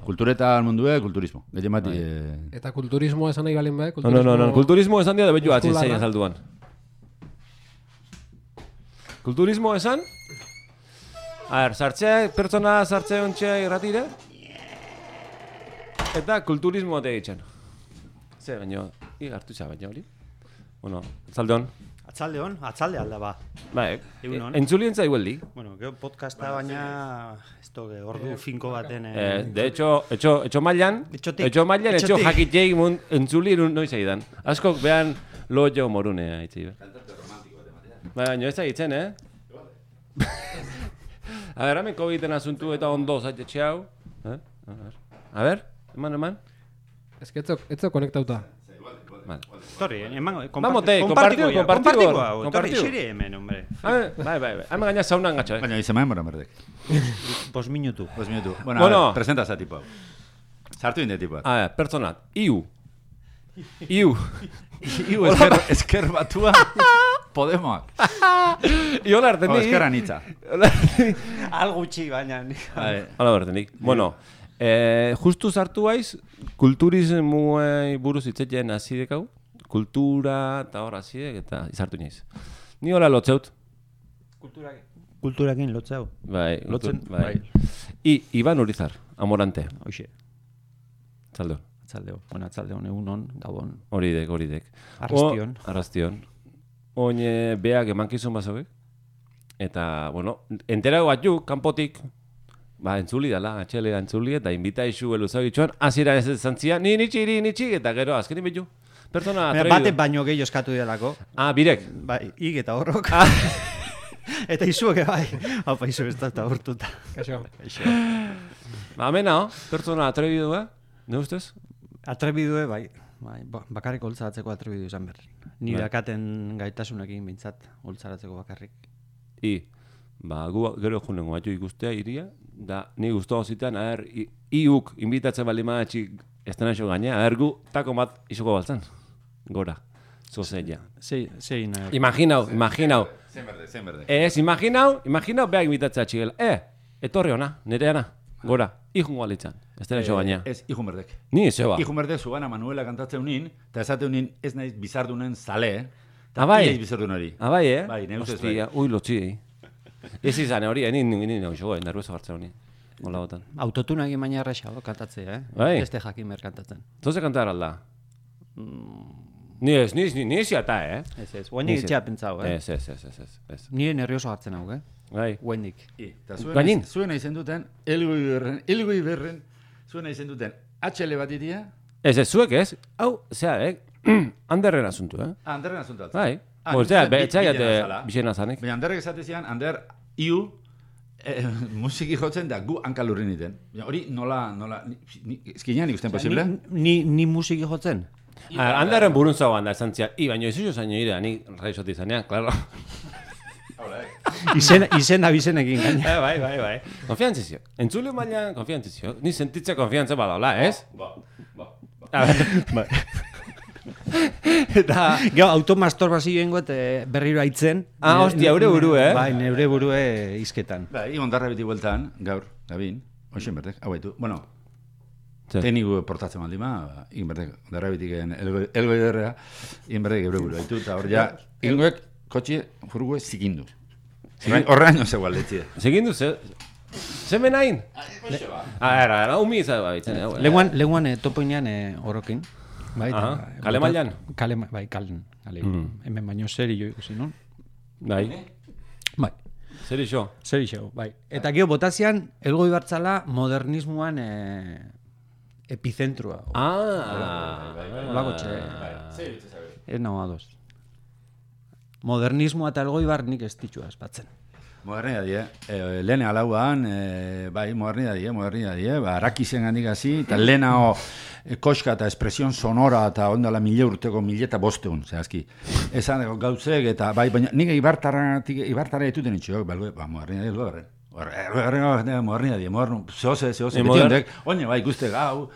Kulturetan mundue, kulturismo. Eta kulturismo esan nahi balin bai? No. Kulturismo esan dia da betu atzin zein azalduan. Kulturismo esan? A ver, pertsona sartze ontxe irratire. Eta kulturismo ate egiten. Zer, baina, hartu izan baina hori. Bueno, atzalde alda ba. Entzulientza igueldi. Bueno, gero podcasta baina, esto que ordu finko baten... De hecho, etxo mailan, etxo jakitzeik entzuli noiz aidan. Askok behan lo jo morune haitzi. Kantate romantiko bat ematea. Baina ez da hitzen, A ver, hemen COVID-en asuntu eta ondo zaitxe hau. A ver, eman. Ez que etzo konektauta. Torri, compartigo. Torri, xiri hemen, hombre. Bai. Hemen gaina saunan gatxo, Baina izan maen bora merdek. 5 minutu. Bueno, presenta za tipo hau. Sartu inde tipo. A ver, personat. Iu esker batua. Podemoak. Iola hartenik. Eskerra nitza. Algo txi baina. Hala hartenik. Bueno, Justu sartu haiz, kulturismuei buruz hitzetzen hasi dekau, kultura eta hor hasiek eta izartu iniz. Ni hola lotzeut. Kulturakin lotzeu. Bai, Lotzen, bai. Iban Urizar, Amorante. Hoxe. Atzaldeo. Atzaldeon, egunon, gabon. Horidek. Arrastion. Oin beak emankizun bazauek. Eta, bueno, enterago batzuk, kanpotik, entzuli dala, atxelera entzuli, eta invita isu eluzagitxuan, azira ez zantzia, nitxi, eta gero, azkenin bitu. Persona atrebidu. Bate baino gehiago eskatu delako. Birek. Bai, eta horrok. Eta izuek, bai. Haupa, izu ez da urtuta. Kaixo. Amena, persona atrebidu, ne ustez? Atrebidue, bai. Bakarrik holtzaratzeko atrebidu izan behar. Ni dakaten gaitasunekin bintzat holtzaratzeko bakarrik. Gu gero junengo batzu ikustea iria, da ni guztua zitean, iuk invitatzen bali maatxik estenazio gaina, gu tako bat izuko baltzan. Gora, zozella. Zein. Imaginau. Zen berde. Imaginau beha invitatzea txigela. Etorri ona, nereana, gora, ihungo alitzan, estenazio gaina. Ez, ihun berdek. Ni, zeba. Ihun berdek zugana Manuela kantatzen unin, eta esate unin ez naiz bizardunen zale, Bai. Iaiz bizardun hori. Bai, Bai, ne ustez bai. Ui, lotzi, Ez izan hori, ni nagoizo, nervioso hartzen honi. Hola botan. Autotunak imaina erraxa, kantatzea, Bai. Beste jakin mer kantatzen. Zoze kantar alda? Ni ziata, Ez, guainik etxea pentsau, Ez. Nire nervioso hartzen hau, Bai. Guainik. Eta zuena izen duten, elgoi berren, zuena izen duten, HL bat iria? Ez, zuek ez? Hau, zea, Anderren asuntu, Anderren asuntu altzen. Bai. Osea, betxaiate bizena zanik. Baina Anderrek esatezian, Ander, musiki jotzen da gu hankalurrin iten. Hori nola, eskinean ikusten posible? Ni musiki jotzen? Anderren burun zauan da, esantzia, baina ez uso zaino ira, ni raizoti zanean, klaro. Izena bizenekin gaina. Bai. Konfiantzizio. Entzule mailan konfiantzizio. Ni sentitze konfiantza badaula, ez? Ba. Eta gero automasturbazioengo eta berriro aitzen. Hostia, eure buru, Bai, neure burue izketan. Bai, ondarra beti bueltan, gaur, Gabin, hoxen berdek, hau baitu. Bueno, tekniku portatzen baldima, egin berdek, ondarra betik elgoi derrea, egin berdek eure buru baitu, eta hor ja, ingoek kotxe furgue zikindu. Horrean zeu aldetzi. Zikindu, zemen hain? Era, umi izan baitzen. Leguan topoinean orokin. Kale mailan? Bai, kalen. Hemen baino seri jo ikusi, non? Bai. Seri xo, bai. Eta gero botazian, elgoi bartzala modernismoan epizentrua. Olako txe. Ez nago adoz. Modernismoa eta elgoi bar nik ez ditxua espatzen. Modernidadie, lehen alauan, bai, modernidadie, arakizen gandik hazi, eta lehenao koska eta espresion sonora eta ondala 1000 urteko 1005, zehazki. Esan gauzek eta, bai, baina nik ibartara etuten itxoak, modernidadie, zehose, betiondek, oine, bai, ikuste gau,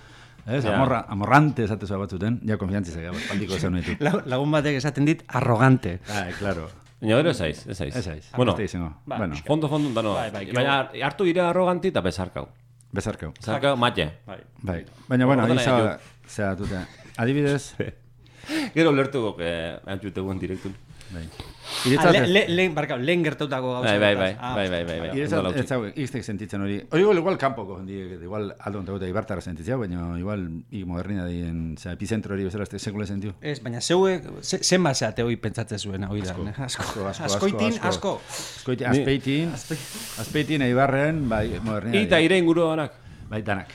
amorrante esatezua batzuten, ja konfiantzizak, pandiko esan ditu. Lagun batek esaten dit, arrogante. Claro. Baina gero ez aiz. Bueno, fondo dano. Baina hartu ire arroganti eta bezarkau. Bezarkau, matxe. Bai. Baina, bueno, zera dute. Adibidez. Gero lertu gok, antxute guen direktun. Lehen gertautako gauza. Bai. Ez hau, iztek sentitzen hori. Hori igual kanpoko, igual aldo ontagoeta ibartara sentitzea, baina igual modernidadien epizentro hori bezala sekule sentiu. Ez, baina zeuek, zen baseate hori pentsatzen zuen hori da. Asko. Azpeitin, eibarren, bai, modernidadien. Eta ire inguru danak? Bai, danak.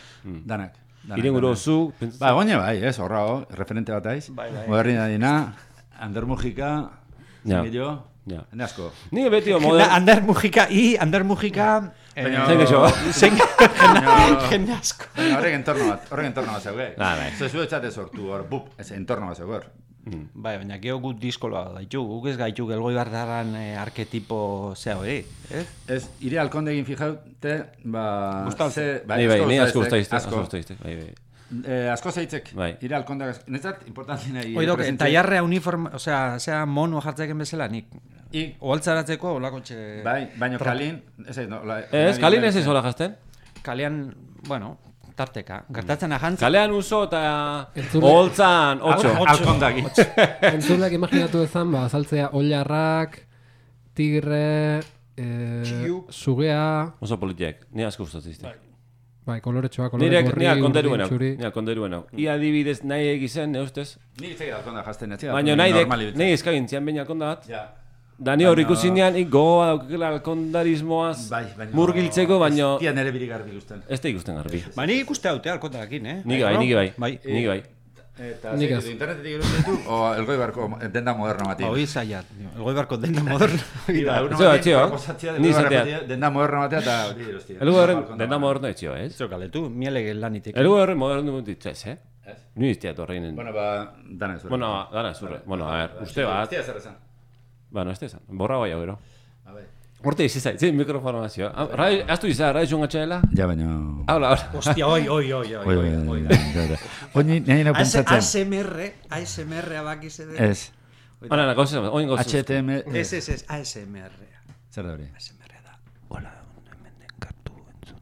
Ire inguru zu? Ba, goña bai, ez, horra ho, referente bat aiz. Modernidadiena, Ander Mujika, Zengillo, hene asko. Ni beti Ander Mujika, jende asko. Horrek entorno bat zeuge. Zezu etxate sortu hor, ez entorno bat zeuge. Bai, baina geho gut diskoloa gaitu, guk ez gaitu elgoi bardaran arketipo zea hori, ez? Ez, ire alkondegin fijaute, ba... Gustauze. Ni asko guztaizte. Asko zeitzek, ire alkondegaz, netzat, importantina... Oidok, taiarrea uniforme, osea, zea mono jartzeken bezala, nik... Oaltzaratzeko, olako txe... Bai, baina kalin... Ez, kalin ez hola jazten? Kalean, bueno... tarteka. Gertatzen ahantzak. Kalean uso eta holtzan 8. Alkondaki. Entzuleak imaginatu ezan, azaltzea oilarrak, tigre, sugea... Oso politiak, ni asko gustatzen. Bai, koloretxoa, kolore gorri, urdin, txuri. Nia konderuenau. Ia adibidez nahi egizen, neustez. Ni iztegit alkonda jazten, baina nahi eskagintzian behin alkonda bat. Da ni hor ikusinean, gogoa daukela alkondarismoaz murgiltzeko, baina... Ez nere birik garbi ikusten. Ez da ikusten garbi. Ba, ni ikuste haute alkondakin, Niki bai. Eta internetetik erosi ditu, o Elgoi Barko denda moderno bati. Hoi zaiat, Elgoi Barko denda moderno. Ni zatea. Denda moderno batea eta hori erostia. Elgoi horren denda moderno etxio, ez? Zokaletu, mielege lanitik. Elgoi horren moderno dut ez, Ni iztea torreinen. Bueno, dana ez. Dana ez. Bueno, a ver, uste bat. Iztea zer esan. Bueno, ez esan. Borra bai hau, Horte izizait, zein mikrofono nazio. Aztu izan, rai zunga txaela? Ja, baina... Habla. Hostia, oi. Oini, nahi nahi pentsatzen. ASMR abakiz edo. Ez. Hora, oin gozu. HTM... Ez, ASMR. Zer da hori? ASMR da. Hola, hemen den kartu entzun.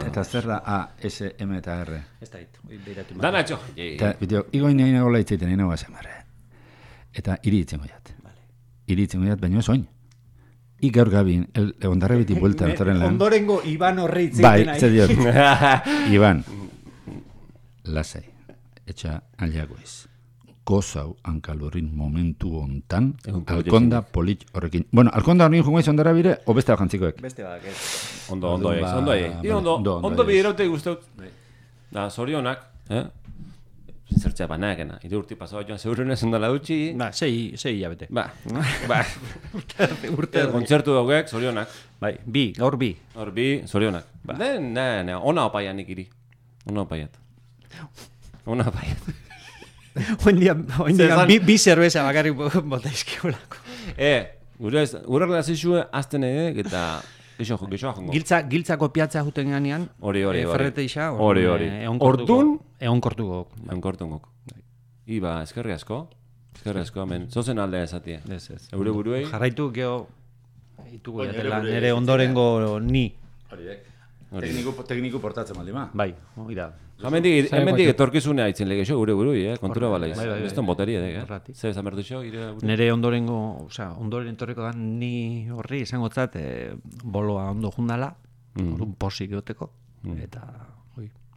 Eta zer da ASM eta R? Ez da hit, beiratu. Dana etxo. Eta, bideo, igoin nahi nagoela itzaiten, nahi nagoela ASMR. Eta iri itzen goiat. Iri itzen goiat, baina ez oin. Gaur gabin, ondarra biti buelta datoren lan. Ondorengo Iban horre itzeiten bai, zer diot. Iban, lasai, etxa aliagoiz. Gozau hankalurrin momentu hontan, alkonda polit horrekin. Bueno, alkonda horrekin jungoiz ondarra bire, o beste bajantzikoek? Beste bak, ez. Ondo biderote guztiok. Da, zorionak, zertxea banakena. 3 urte pasau joan zeurrenez ondala dutxi. Ba, 6 hilabete. Ba. Urte. Kontzertu daugek, zorionak. Bai, gaur bi. Gaur bi, zorionak. Ona opaianik iri. Ona opaiat. Oindian bi zerbeza bakarrik bota izkiolako. Gure relazizue azten eta... Giltza kopiatzea juten ganean. Hori. Ferrete isa. Hori. Ordun? Egonkortugok. Iba, eskerri asko, hemen. Zozen aldea esatia. Ez. Eure buruei. Jarraitu geho, itugu jatela, nire ondorengo ni. Tekniku portatzen baldima. Bai, hori da. Hemendik etorkizunea itzen lege xo, gure burui, kontura bala iz. Bai. Ez ton boteria, Zer esan berdu xo, nire ondoren etorriko da ni horri izango zat, boloa ondo jundala, orduan posik egoteko, eta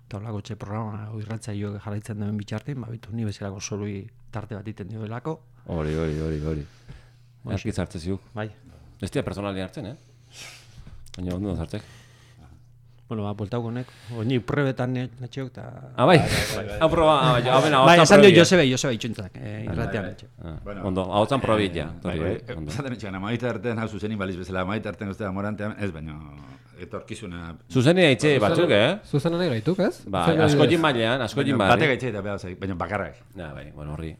taulako txe programa irratzaioak jarraitzen duen bitxartin, babitu ni bezalako solui tarte bat iten dioelako. Hori. Erkiz hartze ziuk. Bai. Ez tia personali hartzen, Baina ondo hartzek. Bueno, bueltauko nek, oini prebetan netxeok eta... Bai, hau proba, bai, esan dio Josebe itxuntzak, irratean netxeok. Ondo, hau zan probit, ja. Zaten etxean, amaita artean, hau zuzenin baliz bezala, amaita artean guztia morantean, ez baina etorkizuna... Zuzeni haitxe batzuk, Zuzena nahi gaituk, ez? Bai, asko jin bailean, Batek haitxe eta behar zaik, baina bakarrak. Bai, bueno, horri.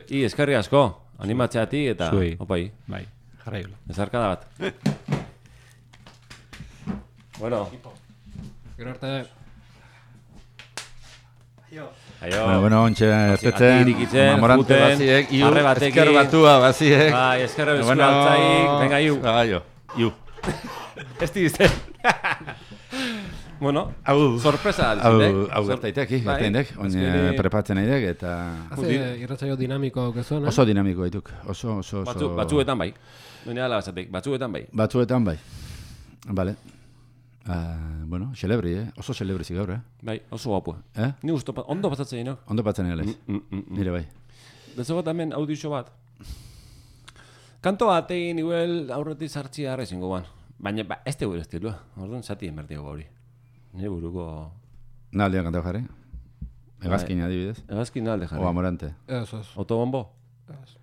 Eskerri asko, animatzeati eta... Opai. Bai, jarraiola. Ezarkada bat. Bueno... Gero arte. Bueno, ontsa ertetzen, mamorante baziek, esker batua baziek. Bai, eskerra bezku altzaik, venga, iu. Ez dizte. Bueno, sorpresa altzindek. Hau gertaitek, oin prepatzen nahi eta... Haze irratzaio dinamiko aukezuan, Oso dinamiko dituk, oso... Batzuetan bai. Batzuetan bai. Vale. Bueno, celebri, oso celebri zigaur, Bai, oso guapu. Ni gusto, ondo pasatzen dino. Ondo pasatzen egales. Nire bai. Dezo bat hemen audizio bat. Kanto bat egin iguel aurretik sartzi harra izango guan. Baina, ez te gure estilua. Orduan, zati enbertiago hori. Nire buruko... Naldean kantau jarri? Egazkin adibidez? Egazkin nalde jarri. O amorante? Ez. Autobombo?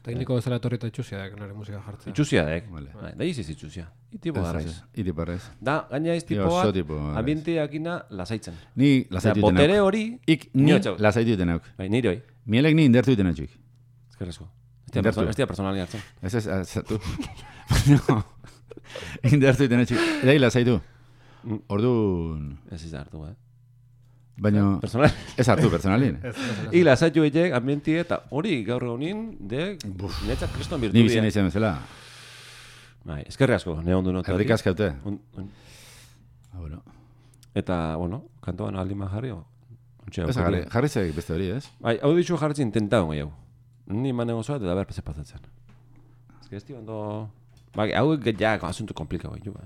Tekniko bezala etorrita itxusiadek nire musika jartzea. Itxusiadek? Da iziz itxusia. Itipo garraiz. Itiparraiz. Da, gaina ez tipo bat, ambienteakina lasaitzen. Ni lasaitu ditenak. Botere hori... Ni lasaitu ditenak. Bai, nire hoi. Mielek ni indertu ditenak txik. Ezkerrezko. Ez tia personali hartzen. Ez, zatu. Indertu ditenak txik. Edai lasaitu. Orduan... Ez hartu, Baina... Ez hartu, personalin. I lasaitu egek ambientie eta hori gaur egunin de... Netzak kriston birtu Ni bizin izan bezala. Bai, eskerri asko, ne ondo notu. Errik askaute. Eta, bueno, kantoan alima jarri, jarri zeg beste hori, ez? Bai, hau ditxu jarritzen intentaun gehiago. Ni manen osoa eta da behar pese pasatzen. Ez que ez ondo... Ba, hau ja asunto komplikau gehiago.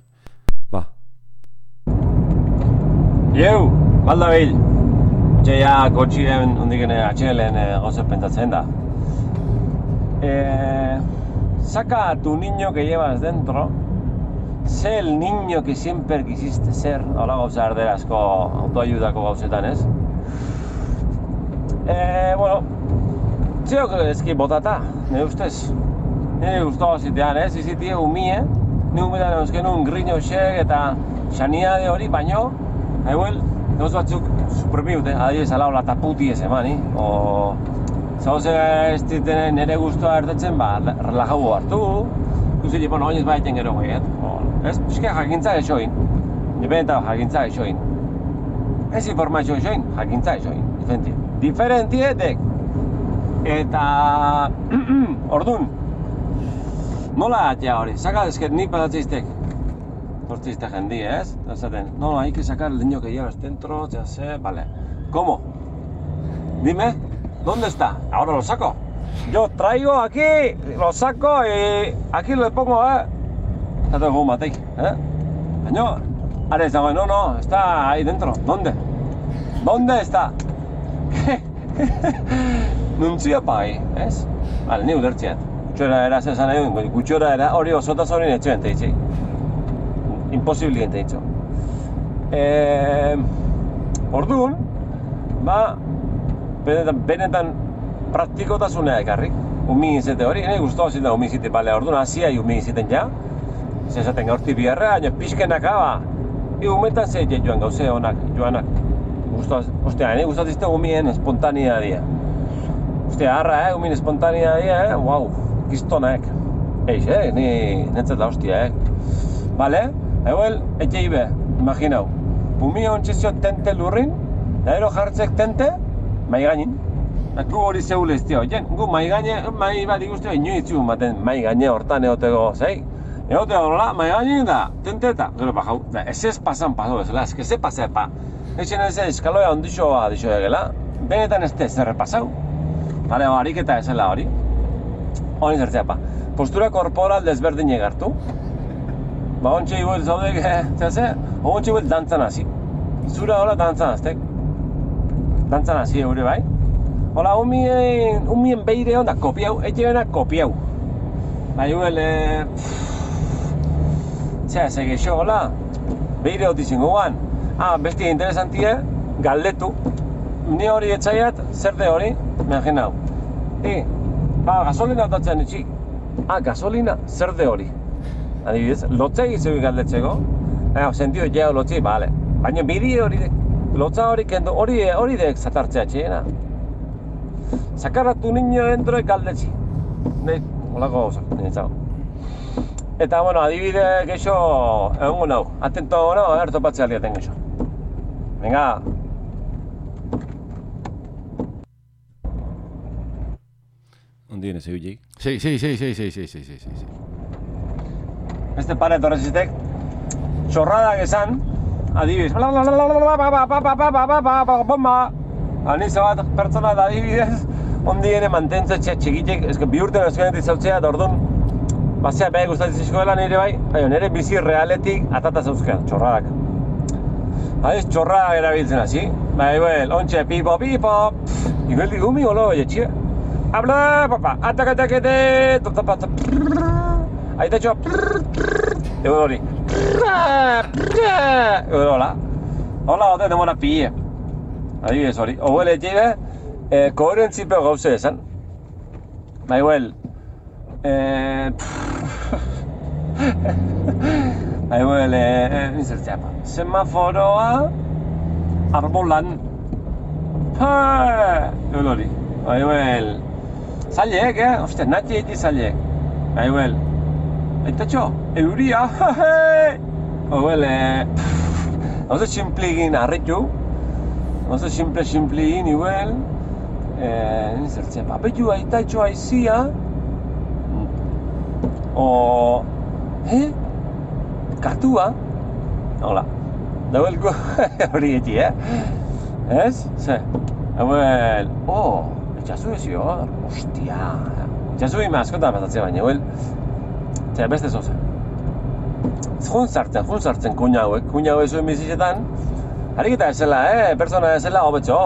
Ba. Ieu, balda behil. Ja kotxiren hondiken atxelen gauze pentatzen da. Saca a tu niño que llevas dentro. Sé el niño que siempre quisiste ser. Hola gauza erderazko autoayudako gauzetan, ez? Bueno, zeok ezki botata, nire ustez. Nire guztua zitean, ez? Izitie umie, nire umetan eusken un grino xek eta xaniade hori, baino, hauel, gauz batzuk suprimiut, adibidez alaola taputi ez emani, o... Zauze ez ditenen nire guztua ertetzen, ba, relajau hartu, ikusi, bueno, oinez baiten gero goiet, ez? Piske jakintza esoin, nipeneta jakintza esoin. Ez informazio esoin, jakintza esoin, diferentie dek. Eta, ordun, nola atea hori, saka ezket nik patatzeiztek, tortzeizte jendi, ez? Esaten, no, hay que sacar el niño que llevas dentro, ya sé, vale. ¿Cómo? Dime, ¿dónde está? Ahora lo saco. Yo traigo aquí, lo saco y aquí lo pongo, Está todo como matei, Baina, ara ez dago, no, está ahí dentro. ¿Dónde? ¿Dónde está? Nuntzia pai, ez? Bale, ni ulertziat. Gutxora era zezan egin, gutxora era hori osotaz hori netxoen teitzi. Imposibilien teitzo. Orduan, ba, benetan praktikotasunea ekarrik. Umi izate hori, nahi guztua zita umi izate, bale, orduan haziai umi izaten ja. Zezaten gaurti biharra, baina pixkenak aba. Umetan zeite joan gauze honak, joanak. Ostia, nahi guztatizte umien espontanea dia. Ostia, harra, umien espontanea dia, wow, kistonak. Eix, ni netzat da hostia, Bale, eguel, etxe ibe, imaginau. Umi ontxezio tente lurrin, da ero jartzek tente, mai gainin. Gu hori zeule ez dio, gu mai bat ikusteo inoitzu maten mai gaine hortan egoteko, zei? Egoteko nola, mai gainin da, tenteta. Gero bajau, ez pasan paso bezala, ez se pasa pa. Eixen ez eskaloia ondixoa dixo egela, benetan ez zerre pasau. Bale, ariketa ezela hori. Hori zertzea pa. Postura korporal desberdin egartu. Ba, ontxe iguel zaudek, zehaz, ontxe iguel dantzan hasi. Zura hola dantzan aztek. Dantzan hasi eure bai. Hola, umien beire onda kopiau, etxe bena kopiau. Ba, iguel, zehaz, egexo, hola, beire hoti zinguan. Besti interesantie, galdetu. Ni hori etxaiat, zer de hori, imaginau. Gasolina otatzen etxik. Gasolina, zer de hori. Adibidez, lotzei zeu galdetzeko. Sentido jau lotzei, bale. Baina bidie hori dek, lotza hori kendu, hori dek zatartzea txena. Sakarratu niño dentro galdetzi. Holako gauzak, nintzau. Eta, bueno, adibide geixo egongo nau. Atento no, topatzea aldiaten geixo. Venga. Ondien ez egulik? Sí. Beste pare etorrezitek, txorradak esan, adibidez. Anizo bat pertsona da adibidez, ondiene mantentze txikitek, bi urten euskanetik zautzea, eta orduan, bazea beha gustatizizkoela nire bai, nire bizi realetik atata zauzkean, txorradak. Haiz, txorradak erabiltzen hasi, ontxe, pipo, igual umi golo, etxia. Habla, papa, atakatakete, aita txoa, egon hori, egon hola. Hola, hote, demora pille. Adibidez hori, oguel etxibe, koherentzipeo gauze esan. Nizertzeapa. Semaforoa, arbolan. Egon hori. Zailek, Ostia, natxe eti zailek. Aitatxo, euria, hauze tximpligin arretu. Hauze tximpligin igual. Nizertzeapa. Betu aitatxo aizia. Katua. Hola. Da huel hori eti, Ez? Ze? Hauel, etxazu ezio, ostia. Etxazu ima askotan pasatzea baina, huel, beste zoze. Jun sartzen kuina hauek zuen bizizetan, hariketa ezela, pertsona ezela hobetxo.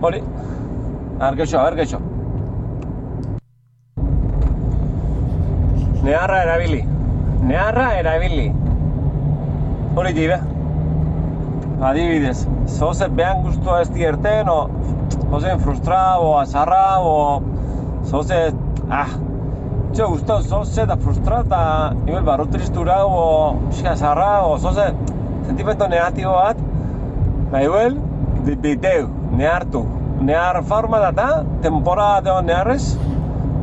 Hori, argeixo. Neharra erabili. Hori jibe. Adibidez, zoze behan guztua ez dierten, o zoze frustrado, o azarra, o zoze, txo guztau zoze da frustrata, igual barru tristura, o pixka azarra, o zoze sentimento negatibo bat, igual, biteu, nehartu. Nehar forma data, temporada de neharrez,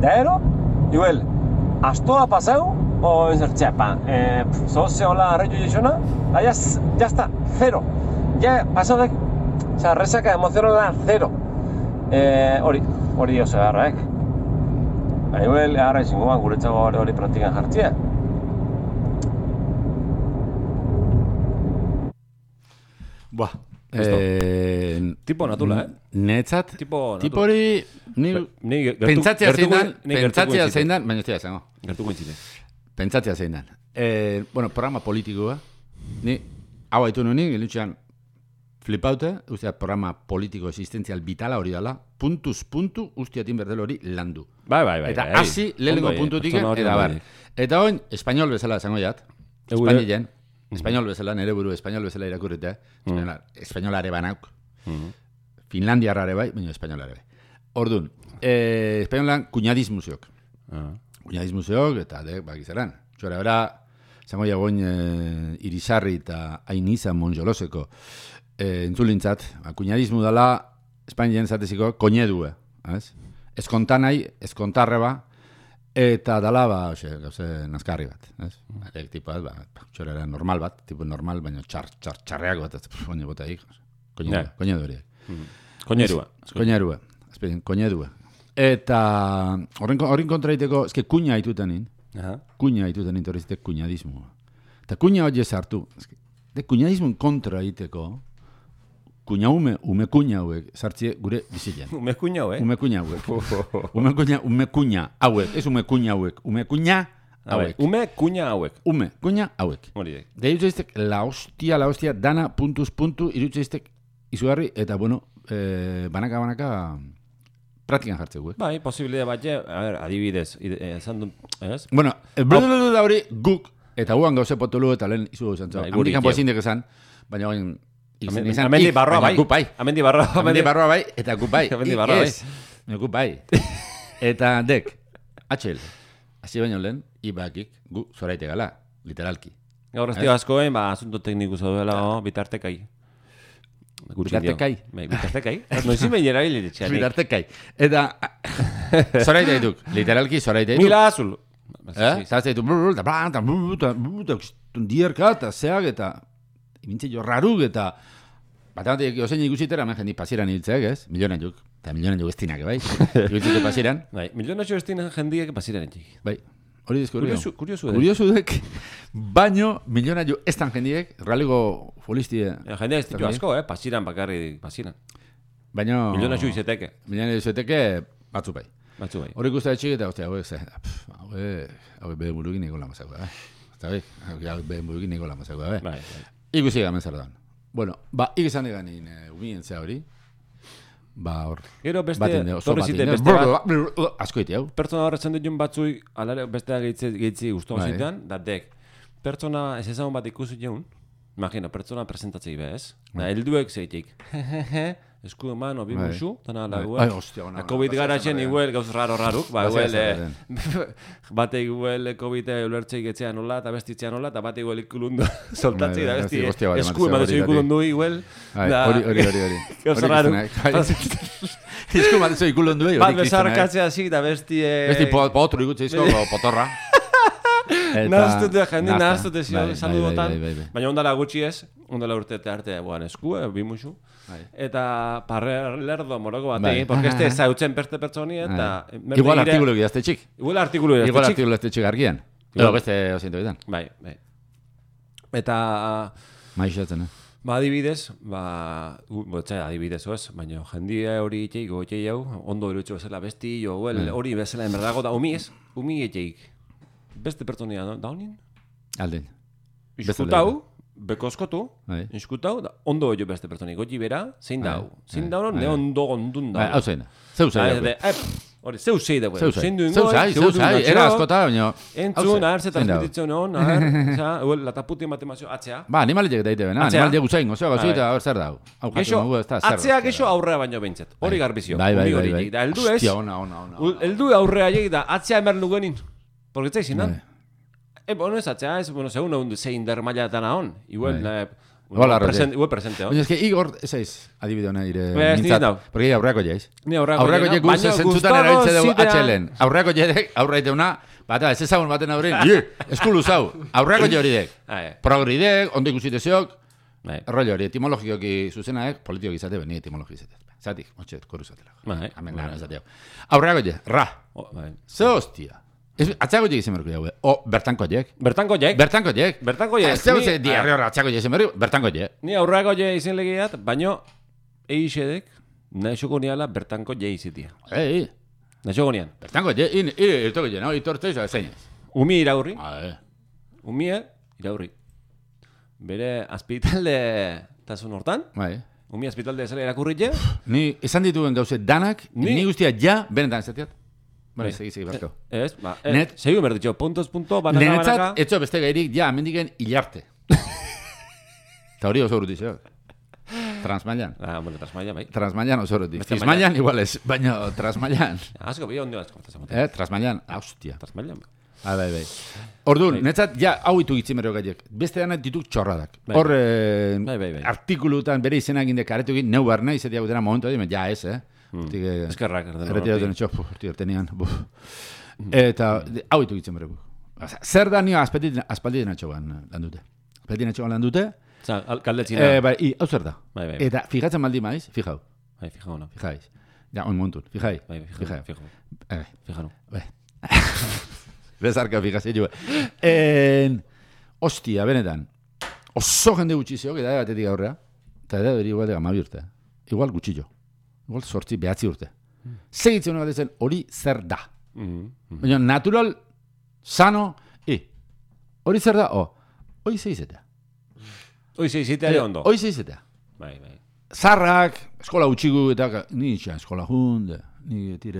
da ero, igual, astoa pasau, o entzertxepa, zoze hola arreio jesuna, ya está, cero. Ya, pasodek, resaka emozionala zero. Hori oso beharrak. Haiuel, harra izango ban, guretzago hori praktikan jartzea. Buah. Tipo natula, Netzat, tipo hori, pentsatzea zein dan, baina ez dira zango. Gertuko intzite. Pentsatzea zein dan. Bueno, programa politikoa, ni hau haitu nuen, gelutxean, flipaute, ustea programa politiko existentzial vitala hori dala, puntuz puntu ustiatin berdel hori landu. Bai. Eta hasi lehenengo puntutik, eta bar. Eta hoin, espainol bezala esango jat, Espainilen, espainol bezala, nere buru espainol bezala irakurritea, espainolare banauk, Finlandiarrare bai, baina espainolare bai. Orduan, espainolan kuñadismuseok. Kuñadismuseok, eta bakizaran. Txora bera, zango jagoin Irizarri eta Ainiza Monjoloseko entzulintzat, kuñadismu dela Espainien zateziko koñedue, ez kontanai, ez kontarreba, eta dala, gauze, nazkarri bat, arek tipo bat, txorera normal bat, tipo normal, baina txarreak bat, baina bota hik, koñedu horiek. Koñedue. Eta horren kontraiteko, eske kuña haitutenin, torrezitek kuñadismu. Eta kuña hori ezartu, de kuñadismun kontra haiteko, ume kuña hauek, sartzie gure bizilean. Ume kuña hauek? Ume kuña hauek. Ume kuña hauek, ez ume kuña hauek, ume kuña hauek. Ume kuña hauek. Ume kuña hauek. Hori. Da irutzeiztek la hostia, dana puntuz puntu, irutzeiztek izugarri, eta bueno, banaka, praktikan jartze guek. Bai, posibilidad bat, adibidez, esan du, ez? Bueno, da hori guk, eta guan gauze potolu eta lehen izu gauzen zo. Amerikan pozindek esan, baina guen Amendi barroa bai. Amendi barroa bai, eta gup bai. Amendi barroa bai. Gup bai. Eta dek, atxel, hasi baino lehen, ibakik gu zoraite gala, literalki. Gaur ez dio askoen, asunto tekniku zaudela, bitartekai. Bitartekai? Noizin behin erabili ditxeanik. Bitartekai. Eta, zoraite dituk, literalki zoraite dituk. Mila azul. Zarazte dituk, dierka eta zeak eta imintze jo raruk eta bat ozein ikusitera, hemen jendi pasieran hiltzeak, ez? Milionan juk. Eta milionan juk estinak, bai? Ikutzite pasieran. Bai, milionan juk estinak jendiek pasieran hiltzik. Bai, hori deskubriu. Kuriosu dek. Baino, milionan juk estan jendiek, realiko folistie. Jendiak ez ditu asko, pasieran bakarri pasieran. Baino... Milionan juk izeteke. Milionan juk izeteke, batzu bai. Hori guztia txik eta, hauek ze, hauek behen burukin niko lamazako, hauek behen burukin niko lamazako, ikusi gamen zer da. Bueno, ikizan eganin umien zea hori. Hor. Gero beste, torri zite beste bat. Asko iti hau. Pertsona horretzen ditun batzui, alare bestea gehitzi guztu zitean, da dek. Pertsona ez ezagun bat ikusi jeun, imagina, pertsona presentatzei bez, da helduek zeitik. Eskudo mano, bi musu, tana lague. COVID garatzen iguel gauz raruk, bate iguel COVID ulertzei getzea nola, eta bestitzea nola, eta bate iguel ikulundu soltatzei, da besti eskudo mano ikulundu iguel. Hori. Gauz raruk. Eskudo mano ikulundu iguel. Bat bezarkatzea zi, da besti... Besti potru ikutzeizko, potorra. Nahaztute, jende nahaztute saludotan, baina ondala gutxi ez, ondala urte arte esku, bi musu. Eta parlerdo moroko batei, porque este zautzen beste pertsoni eta... Igual artikulu gidazte txik. Igual artikulu gidazte txik argian. Edo beste osinto bitan. Bai. Eta... Maixatzen, Ba, adibidez, adibidez, oez, baina jendia hori itxeik, hau, ondo erutxo bezala besti, hori bezala enberdago da, umi itxeik. Beste pertsonia da honin? Alden. Iskutau, bekozkotu, iskutau, ondo jo beste pertsonik, goti bera, zein dau. Zein dau, ne ondo gondun da. Hau zein, zeu zei. Hori, zeu zei dago. Zein duen goi, era askota, baina... Entzun, ahar, zetan repetitzen hon, lataputi matemazio, atzea. Ba, animaliek daite bena, animaliek usain, gozioa gozioa, hor zer dau. Atzea gexo aurrea baino behintzet, hori garbizio. Bai. Da, eldu ez, eldu aurrea jegi da, atzea emer nugenin. Porque zai zinan. Bueno, ez atzea, segun zein der mailatan ahon. Igual presente, Baina eske Igor, ez adibide hona ire mintzat. Porque aurreako jaiz. Ni aurreako jaiz. Guz zentzutan erabiltze dugu atxelen. Aurreako jedek, aurreiteuna, bata, ez ezagun baten aurrein, eskulu zau. Aurreako je hori dek. Progridek, ondo ikusiteziok, rollo hori, etimologikoki zuzenaek, politikoki izate, beni etimologi izate. Zatik, motxet, koru zatela. Amen gara ezateak. Aurreako je, ra. Ze hostia. Atxako jek izan berko jau, bertanko jek. Bertanko jek. Ez ze diarri horra atxako jek izan berko, bertanko jek. Ni aurrako jek izan legiat, baino eixedek naixoko niala bertanko jek izitia. Naixoko nian. Bertanko jek, irtoko jek, no? Itortu izan zeinez. Umi iraurri. Umi iraurri. Bere azpitalde tasun hortan. Umi azpitalde zela irakurri je. Ni esan dituen gauze danak, ni guztia ja benetan ezateat. Bueno, segi barko. Ez, segi berditxo, puntos, banaka. Nenetzat, etxo beste gairik, ja, mendiken hilarte. Eta hori oso urutizio. Transmailan. Bueno, Transmailan, bai. Transmailan oso urutiz. Transmailan igual ez, baina Transmailan. Asko, bi ondo asko. Transmailan, hostia. Transmailan. Bai. Orduan, netzat, ja, hau itu gitzimero gaiek. Beste dana dituk txorradak. Hor, artikulutan bere izenak indek aretu egin, neu barna, izatea gutena momentu egin, ja ez, eskerrak erretiratzen etxo, ertenean. Eta hau itu gitzen beregu. Zer da nio aspaldien atxogan lan dute. Aspaldien atxogan lan dute. Kaldetzina. Hau zer da. Eta fijatzen maldi maiz, fijau. Fijau, no. Fijaiz. Ja, on montun, fijai. Fijau. Bezarka fijazio jo. Ostia, benetan. Oso jende gutxizio, eta batetik aurrea. Eta da beri igual de gamabi urte. Igual gutxillo. Igual sortzi behatzi urte. Segitzen hori batezen hori zer da. Baina natural, sano, hori zer da, hori zeizetea. Hori zeizetea ere ondo. Hori zeizetea. Bai. Zarrak, eskola utxigu eta ni itxan eskola junde.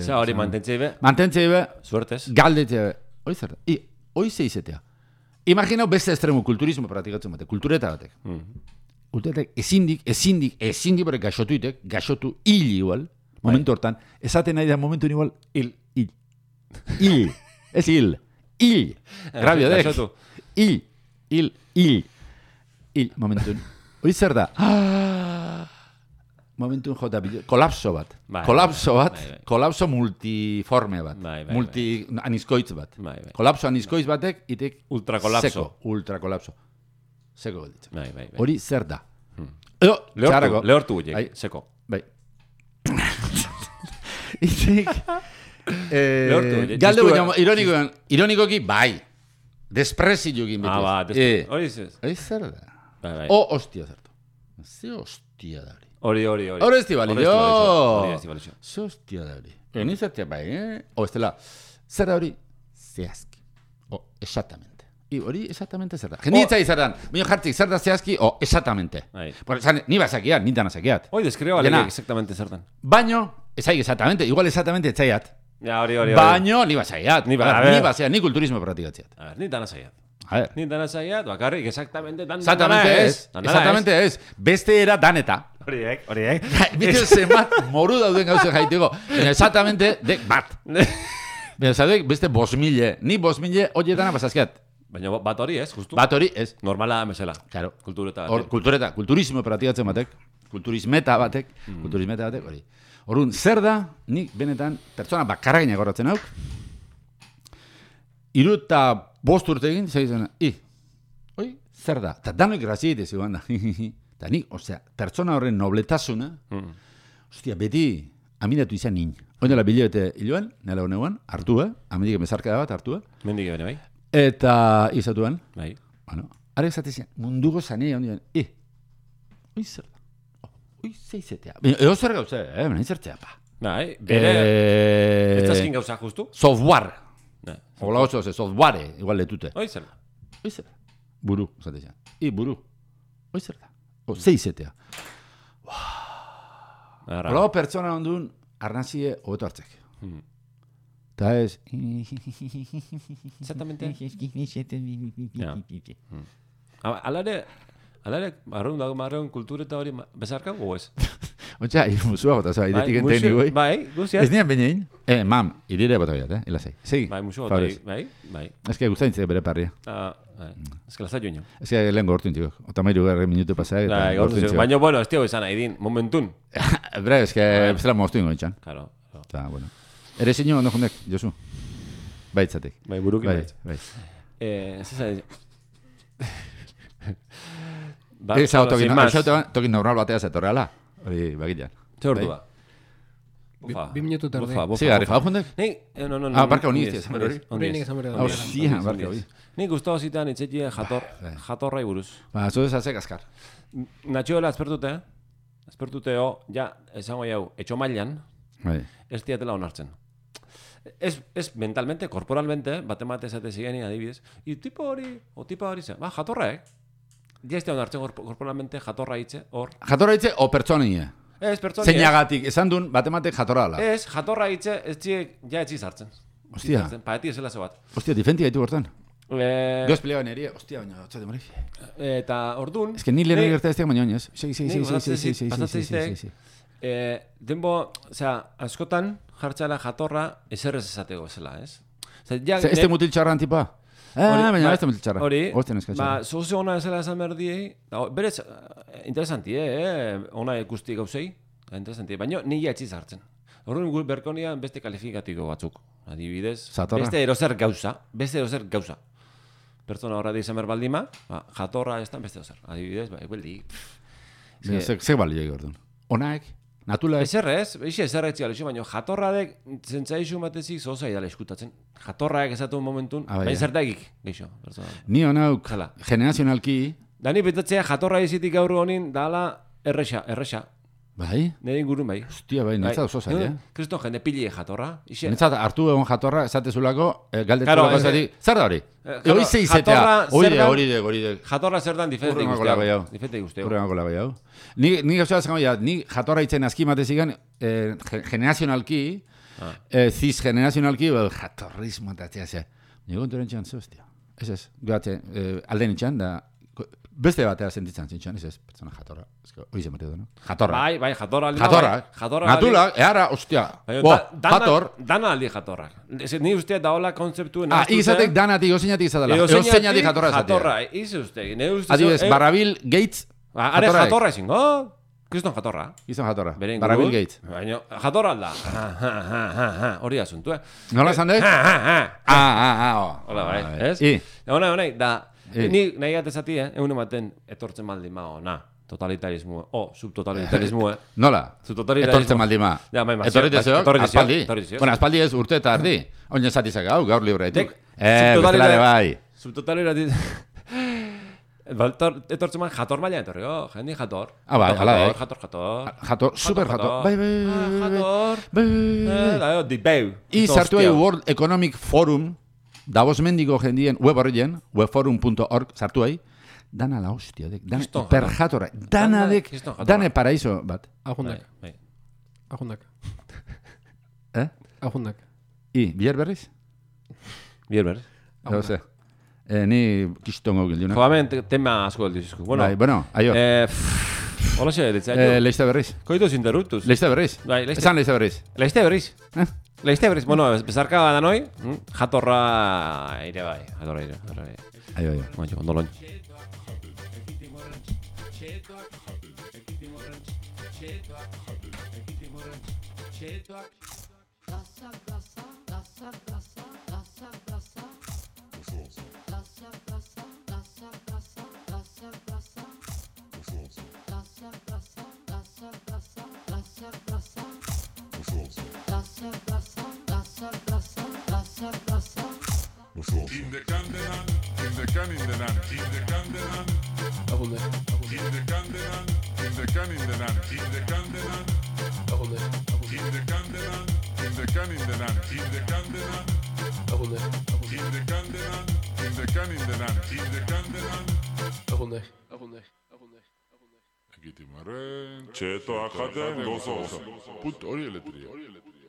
Za hori mantentzeibe. Mantentzeibe. Suertez. Galdetzeibe. Hori zer da. Hori zeizetea. Imaginau beste estremu kulturismo praktikatzen bate. Kultureta batek. Kulturetak ezindik bere gaxotu hil igual, momentu hortan, esaten nahi da momentu igual, hil. Ez hil. Grabio dek. Hil. Momentun. Hori zer da? Momentun jota, kolapso bat. Kolapso multiforme bat. Multi-anizkoitz bat. Kolapso anizkoitz batek, itek ultrakolapso. Seko gelditzen. Hori zer da? Lehortu guiek, seko. Bai. Itek... Galde guiak, ironikoki, bai. Desprezio egin beti. Hori zer da? Hostia zertu. Ze hostia da hori. Hori. Hori ez dibalio. Ze hostia da hori. Nizertia bai, estela. Zer da hori? Zehazki. Exactamente. Hori exactamente zer da. Jenditza izardan, baina jartzik zer da zehazki, exactamente. Ni bazakiat, nintan azakiat. Hoi, deskreo alek exactamente zertan. Baino, ezaik exactamente, igual exactamente etzaiat. Ja, hori. Baino, ni bazakiat. Ni bazakiat, ni kulturismo praktikatziat. Nintan azakiat. Nintan azakiat, bakarrik exactamente dan. Exactamente ez. Beste era daneta. Horiek. Bite zemat moru dauden gauze jaiteko. Exactamente, dek bat. Beste 5.000, ni 5.000 horietan apazazkiat. Baina bat hori ez, justu? Bat hori ez. Normala mesela. Claro. Kultureta batek. Kulturismo praktikatzen batek. Kulturismeta batek, hori. Orduan, zer da, nik benetan, pertsona bakarra gina gorratzen hauk, 35 urte egin, zaitzen, zer da? Eta danok grazia egite ziguan da. Eta nik, pertsona horren nobletasuna, beti, aminatu izan nin. Oindela bilebete hiloan, nela honean, hartu, amendik emezarka da bat, hartu. Mendik bene, bai. Eta izatuan, bai. Bueno, Arek zatezian, munduko zanea ondien, oi zer da, oi zeizetea. Ego zer gauze, nahi zertzea, pa. Bai, bere, ez azkin gauza justu. Software. Ola oso, software, igual letute. Oi zer da. Oi zer da. Buru, zatezian. Buru. Oi zer da. Zeizetea. Ola pertsona ondun, arnazie hobeto hartzek. Ta ez... Exactamente. Alare, marreun kultura eta hori bezarka, o ez? Otsa, musua bota, zoa, idetik enteni goi. Bai, guziaz. Ez nian benein? Mam, idire bota biat, ilasei. Segi. Bai, musua bota, bai. Ez que gustaintzek bere parria. Ez que lazat joan. Ez que lehen gortu intiko. Otamairu garri minutu pasaak. Baina, bueno, ez tio izan nahi din, momentun. Bre, ez que bezala moztu ingo itxan. Claro. Eta, bueno. Ere zinio ondo jundek, Josu? Baitzatek. Bai, buruki baitz. Ez ez hau tokin normal batea zetorreala. Hori bagilean. Ze ordu ba? 2 minutu terde. Sí, gari jau jundek? No. Barka honiz, hori. Hori nik esan berda. Hostia, barka hori. Nik guztua zitan itxetie jatorrai buruz. Ba, zu desazek azkar. Natxioela azpertute ja, esango jau, etxo mailan, ez diatela onartzen. Ez mentalmente, korporalmente, batemate esate zigeni adibidez, tipa hori ze, jatorraek, ja ez onartzen korporalmente jatorra hitze, hor. Jatorra hitze o pertsonie? Ez, pertsonie. Zeinagatik, esan duen batematek jatorra ala? Ez, jatorra hitze, ez txiek, ja etzi zartzen. Ostia. Paeti ezela ze bat. Ostia, difenti gaitu gortan. Goz peleaban erie, ostia, baina, txate mori. Eta ordun... Ez que ni lehenu gerta ez teak baina oinez. Sí. Denbo, askotan jartxala jatorra eserrez esateko zela, ez? Este mutil txarran tipa? Baina este mutil txarra. Hori, zoze ona ezela esan berdiei, berez, interesanti, ona ikusti gauzei, interesanti, baina ni ja etxiz hartzen. Horren gure berkonian beste kalifikatiko batzuk, adibidez, beste erozer gauza. Pertsona horra izan berbaldima, jatorra ez da beste erozer, adibidez, beldi. Zeg balio egordun. Onaek? Natula ez? Ezerretzi galexo, baina jatorradek zentzaizu batezik zoza idala eskutatzen. Jatorraek esatu momentun, baina zertakik, geixo. Ni honauk, generazionalki... Dani betatzea jatorra izitik gaur honin dala erresa. Bai? Nire ingurun bai. Hostia, bai, netzat oso zai, Kriston jende pili jatorra. Netzat hartu egon jatorra, esatezulako, galdetulako zari, zer da hori? Hori zeizetea, hori de. Jatorra zer dan diferente guztiago. Diferente guztiago. Urrenako labai hau. Ni gauzua zango, ni jatorra itzen azki matezigan, generazionalki, ziz generazionalki, jatorrismo eta txea. Nigo konturen txan, ze hostia. Ez, gehate, alden itxan, da... Beste batea sentitzen zintxan, ez pertsona jatorra. Hoi zen bateo, no? Jatorra. Bai, jatorra. Natula, eara, ostia. Jator. Dana aldi jatorra. Ni ustea daola konzeptuen. Izatek danatik, oseinatik izatela. Oseinatik jatorra izatea. Jatorra, ize ustea. Adibidez, Barrabil Gates. Are jatorra ezin, Kriston jatorra. Kriston jatorra. Barrabil Gates. Baina, jatorra alda. Hori asuntu, Nola esan dek? Hola, bai. Ez? Hona, da... Ni nahi gatezati, egun ematen etortzen maldima, totalitarismo, subtotalitarismo, Nola? Etortzen maldima. Etorritzeok, aspaldi. Bueno, aspaldi ez urte eta ardi. Oin esatizak hau, gaur libreetik. Bezalare bai. Subtotalitarismo. Etortzen man jator mailan etorri, jendi jator. Bai, ala da. Jator, super jator. Bai. Jator. Dibeu. Sartu World Economic Forum, Davos mendiko jendien web horrien, webforum.org, sartu ahi, dana la hostia, per jatorra, dane paraiso bat. Ajundak. Ajundak. Bier berriz? Bier berriz. Ni kistongo gildiuna. Joamen, tema asko gildizizku. Bueno, aio. Hola xe, ditzea. Leizte berriz. Koitus interruptus. Leizte berriz. Esan leizte berriz. Leizte berriz. Leizte berriz. Bueno, bezarka da noi, jatorra ere bai. Jatorra ere. Aio. Baina, ondoloin. In the Candyland. Ekitimaren, txetoak jaten gozoz. Put hori eletria.